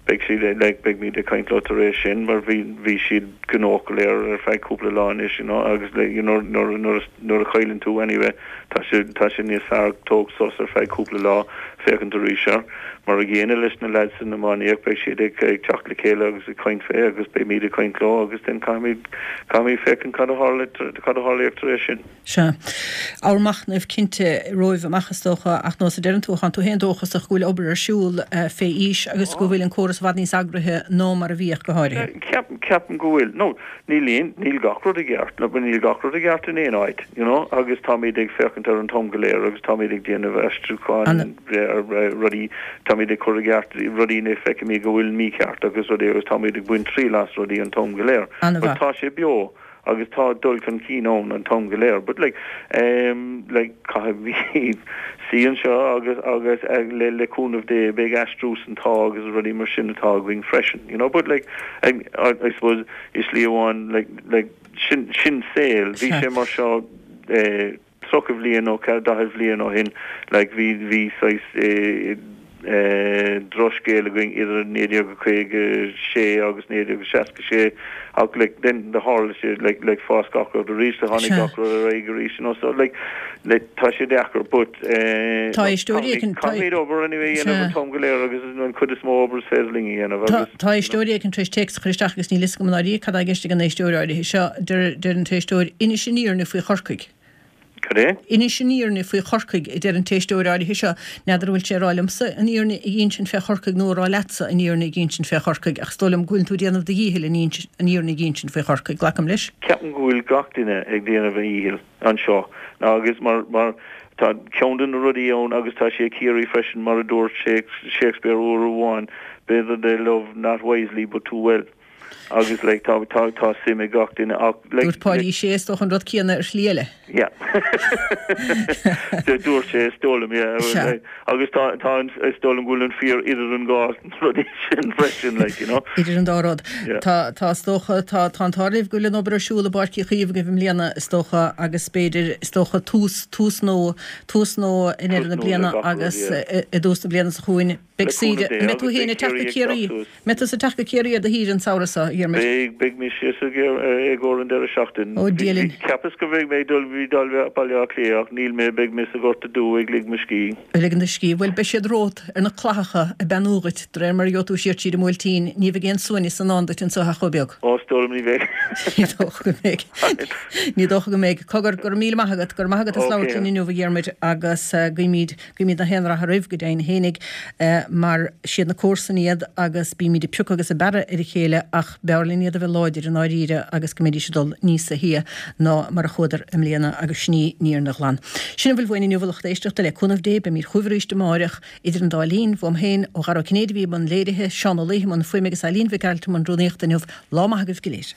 S6: beidh siad, like, beimid ag caint leo tar éis sin mar bhí, bhí siad gnóthach go léir ar feadh cúpla lá anois, you know, agus like, you know, nuair, nuair, nuair a chailleann tú anyway, Tá sé, tá sé níos fearr tóg sos ar feadh cúpla lá, féachaint arís air. Mar a gcéanna leis na leaids san iománaíocht, beidh siad ag, ag teacht le chéile agus ag caint fé agus beimid ag caint leo agus then caithfimid, caithfimid féachaint cad a tharla, cad a tharlaíodh tar éis sin.
S1: Sea. Ábhar machnaimh cinnte romhaibh amach is dócha ach nós a deireann tú, tánn tú féin dóchasach go bhfuil obair ar siúl fé aois agus go bhfuil an córas i bhfad níos eagraithe ná mar a bhíodh go háirithe.
S6: Ceapaim, ceapaim go bhfuil. No, Níl aon, níl gach rud i gceart, no, níl gach rud i gceart in aon áit, you know, agus táimid ag féachaint ar an t-am go léir agus táimid ag déanamh aistriúcháin ar rudaí, táimid ag cur i gceart rudaí ina feicimid go bhfuil mícheart agus rudaí agus táimid ag baint triail as rudaí an t-am go léir. But tá sé beo agus tá dul chun cinn ann an t-am go léir. But like, um, like caithfimid suí anseo agus, agus le, le cúnamh Dé beidh aistriú san t-ádh agus rudaí mar sin atá againn freisin, you know, but like, I suppose i slí amháin like like sin sin saol bhí sé mar seo eh 30 bhliain nó 40 bhliain ó shin like bhí bhí saghas eh eh drochscéal againn idir 1956 agus 1966 ach like then do tharla sé like like fás gach rud arís do tháinig gach rud ar aghaidh arís you know so like like tá sé deacair but eh
S1: Tá éisteoirí
S6: éicint caithfimid obair anyway a dhéanamh an t-am go léir agus an chuid is mó obair is féidir linn a dhéanamh agus
S1: Tá éisteoir éicint tar éis téacs a chur isteach agus níl fhios agam i ndáiríre cad tá i gceist ag an éisteoir áirithe seo. Deir deir an t-éisteoir, Inis an fhírinne faoi Chorcaigh.
S6: Cad é?
S1: Inis an fhírinne faoi Chorcaigh, a deir an t-éisteoir áirithe seo. N'fheadar an bhfuil sé ag rá liomsa an fhírinne a dh'insint fé Chorcaigh nó ag rá leatsa an fhírinne a dh'insint fé Chorcaigh ach is dóigh liom go bhfuil tú ag déanamh do dhíchill an fhírinne a dh'insint faoi Chorcaigh. Glacaim leis.
S6: Ceapaim go bhfuil gach duine ag déanamh a dhíchill. anseo ná agus mar mar tá ceann de na rudaí ann agus tá sé i Ciarraí freisin mar a dúirt Shakespeare uair amháin b'fhéidir they love not wisely but too well agus like tá tá tá suim ag gach duine ach
S1: like Dúirt Páidí Sé is dócha an rud céanna ar shlí eile.
S6: Yeah. Dúirt sé is dóigh liom yeah. Sea. Agus tá tá an is dóigh liom go bhfuil an fíor idir an dhá rud sin freisin like you know.
S1: Idir an dá rud. Yeah. Tá tá is dócha tá tá an t-ádh libh go bhfuil an obair ar siúl i bPáirc Uí Chaoimh agaibh i mbliana is dócha agus b'fhéidir is dócha tús tús nua tús nua i ndeireadh na bliana agus i dtús na bliana seo chugainn. Beidh saoire an mbeidh tú féin ag teacht go Ciarraí mbeidh tusa ag teacht go Ciarraí ar do shaoire an samhradh seo, a
S6: Dhiarmuid? Beidh, beidh mé síos i gcomhair an deireadh seachtain.
S1: Ó, Dia linn.
S6: Cheapas go mbeidh mé ag dul bhí dul Baile Átha Cliath ach níl mé, beidh mé sa Ghorta Dubh ag lig mo scíth.
S1: Ag ligean do scíth. Bhuel, beidh siad romhat ar na clathacha ag beannú dhuit, de réir mar a gheobhaidh tú siar tríd an mBuailtín. Ní bheidh aon suaimhneas i ndán duit anseo ach chomh beag.
S6: Ó, is dóigh liom ní bheidh.
S1: Ní dócha go mbeidh. Ní dócha go mbeidh. Cogar, go raibh míle maith agat. Go raibh maith agat as labhairt linn inniu, a Dhiarmuid, agus guímid Guímid gach aon rath oraibh go deimhin fhéinig mar siad na comharsain iad agus bímid ag piocadh agus ag bearradh ar a chéile ach b'fhearr linn iad a bheith láidir i ndáiríre agus go mbeidís ag dul níosa shia ná mar a chuadar i mbliana agus sin í an fhírinne ghlan. Sin a bhfuil uainn inniu a lucht éisteachta, le cúnamh Dé beimid chugaibh arís amáireach idir an dá linn, uaim féin, ó Dhara Ó Cinnéide a bhí i mbun léirithe, Seán Ó Laoithe i mbun fuaime agus Eileen Mhic Gearailt i mbun rúnaíochta inniu. Lá maith agaibh go léir.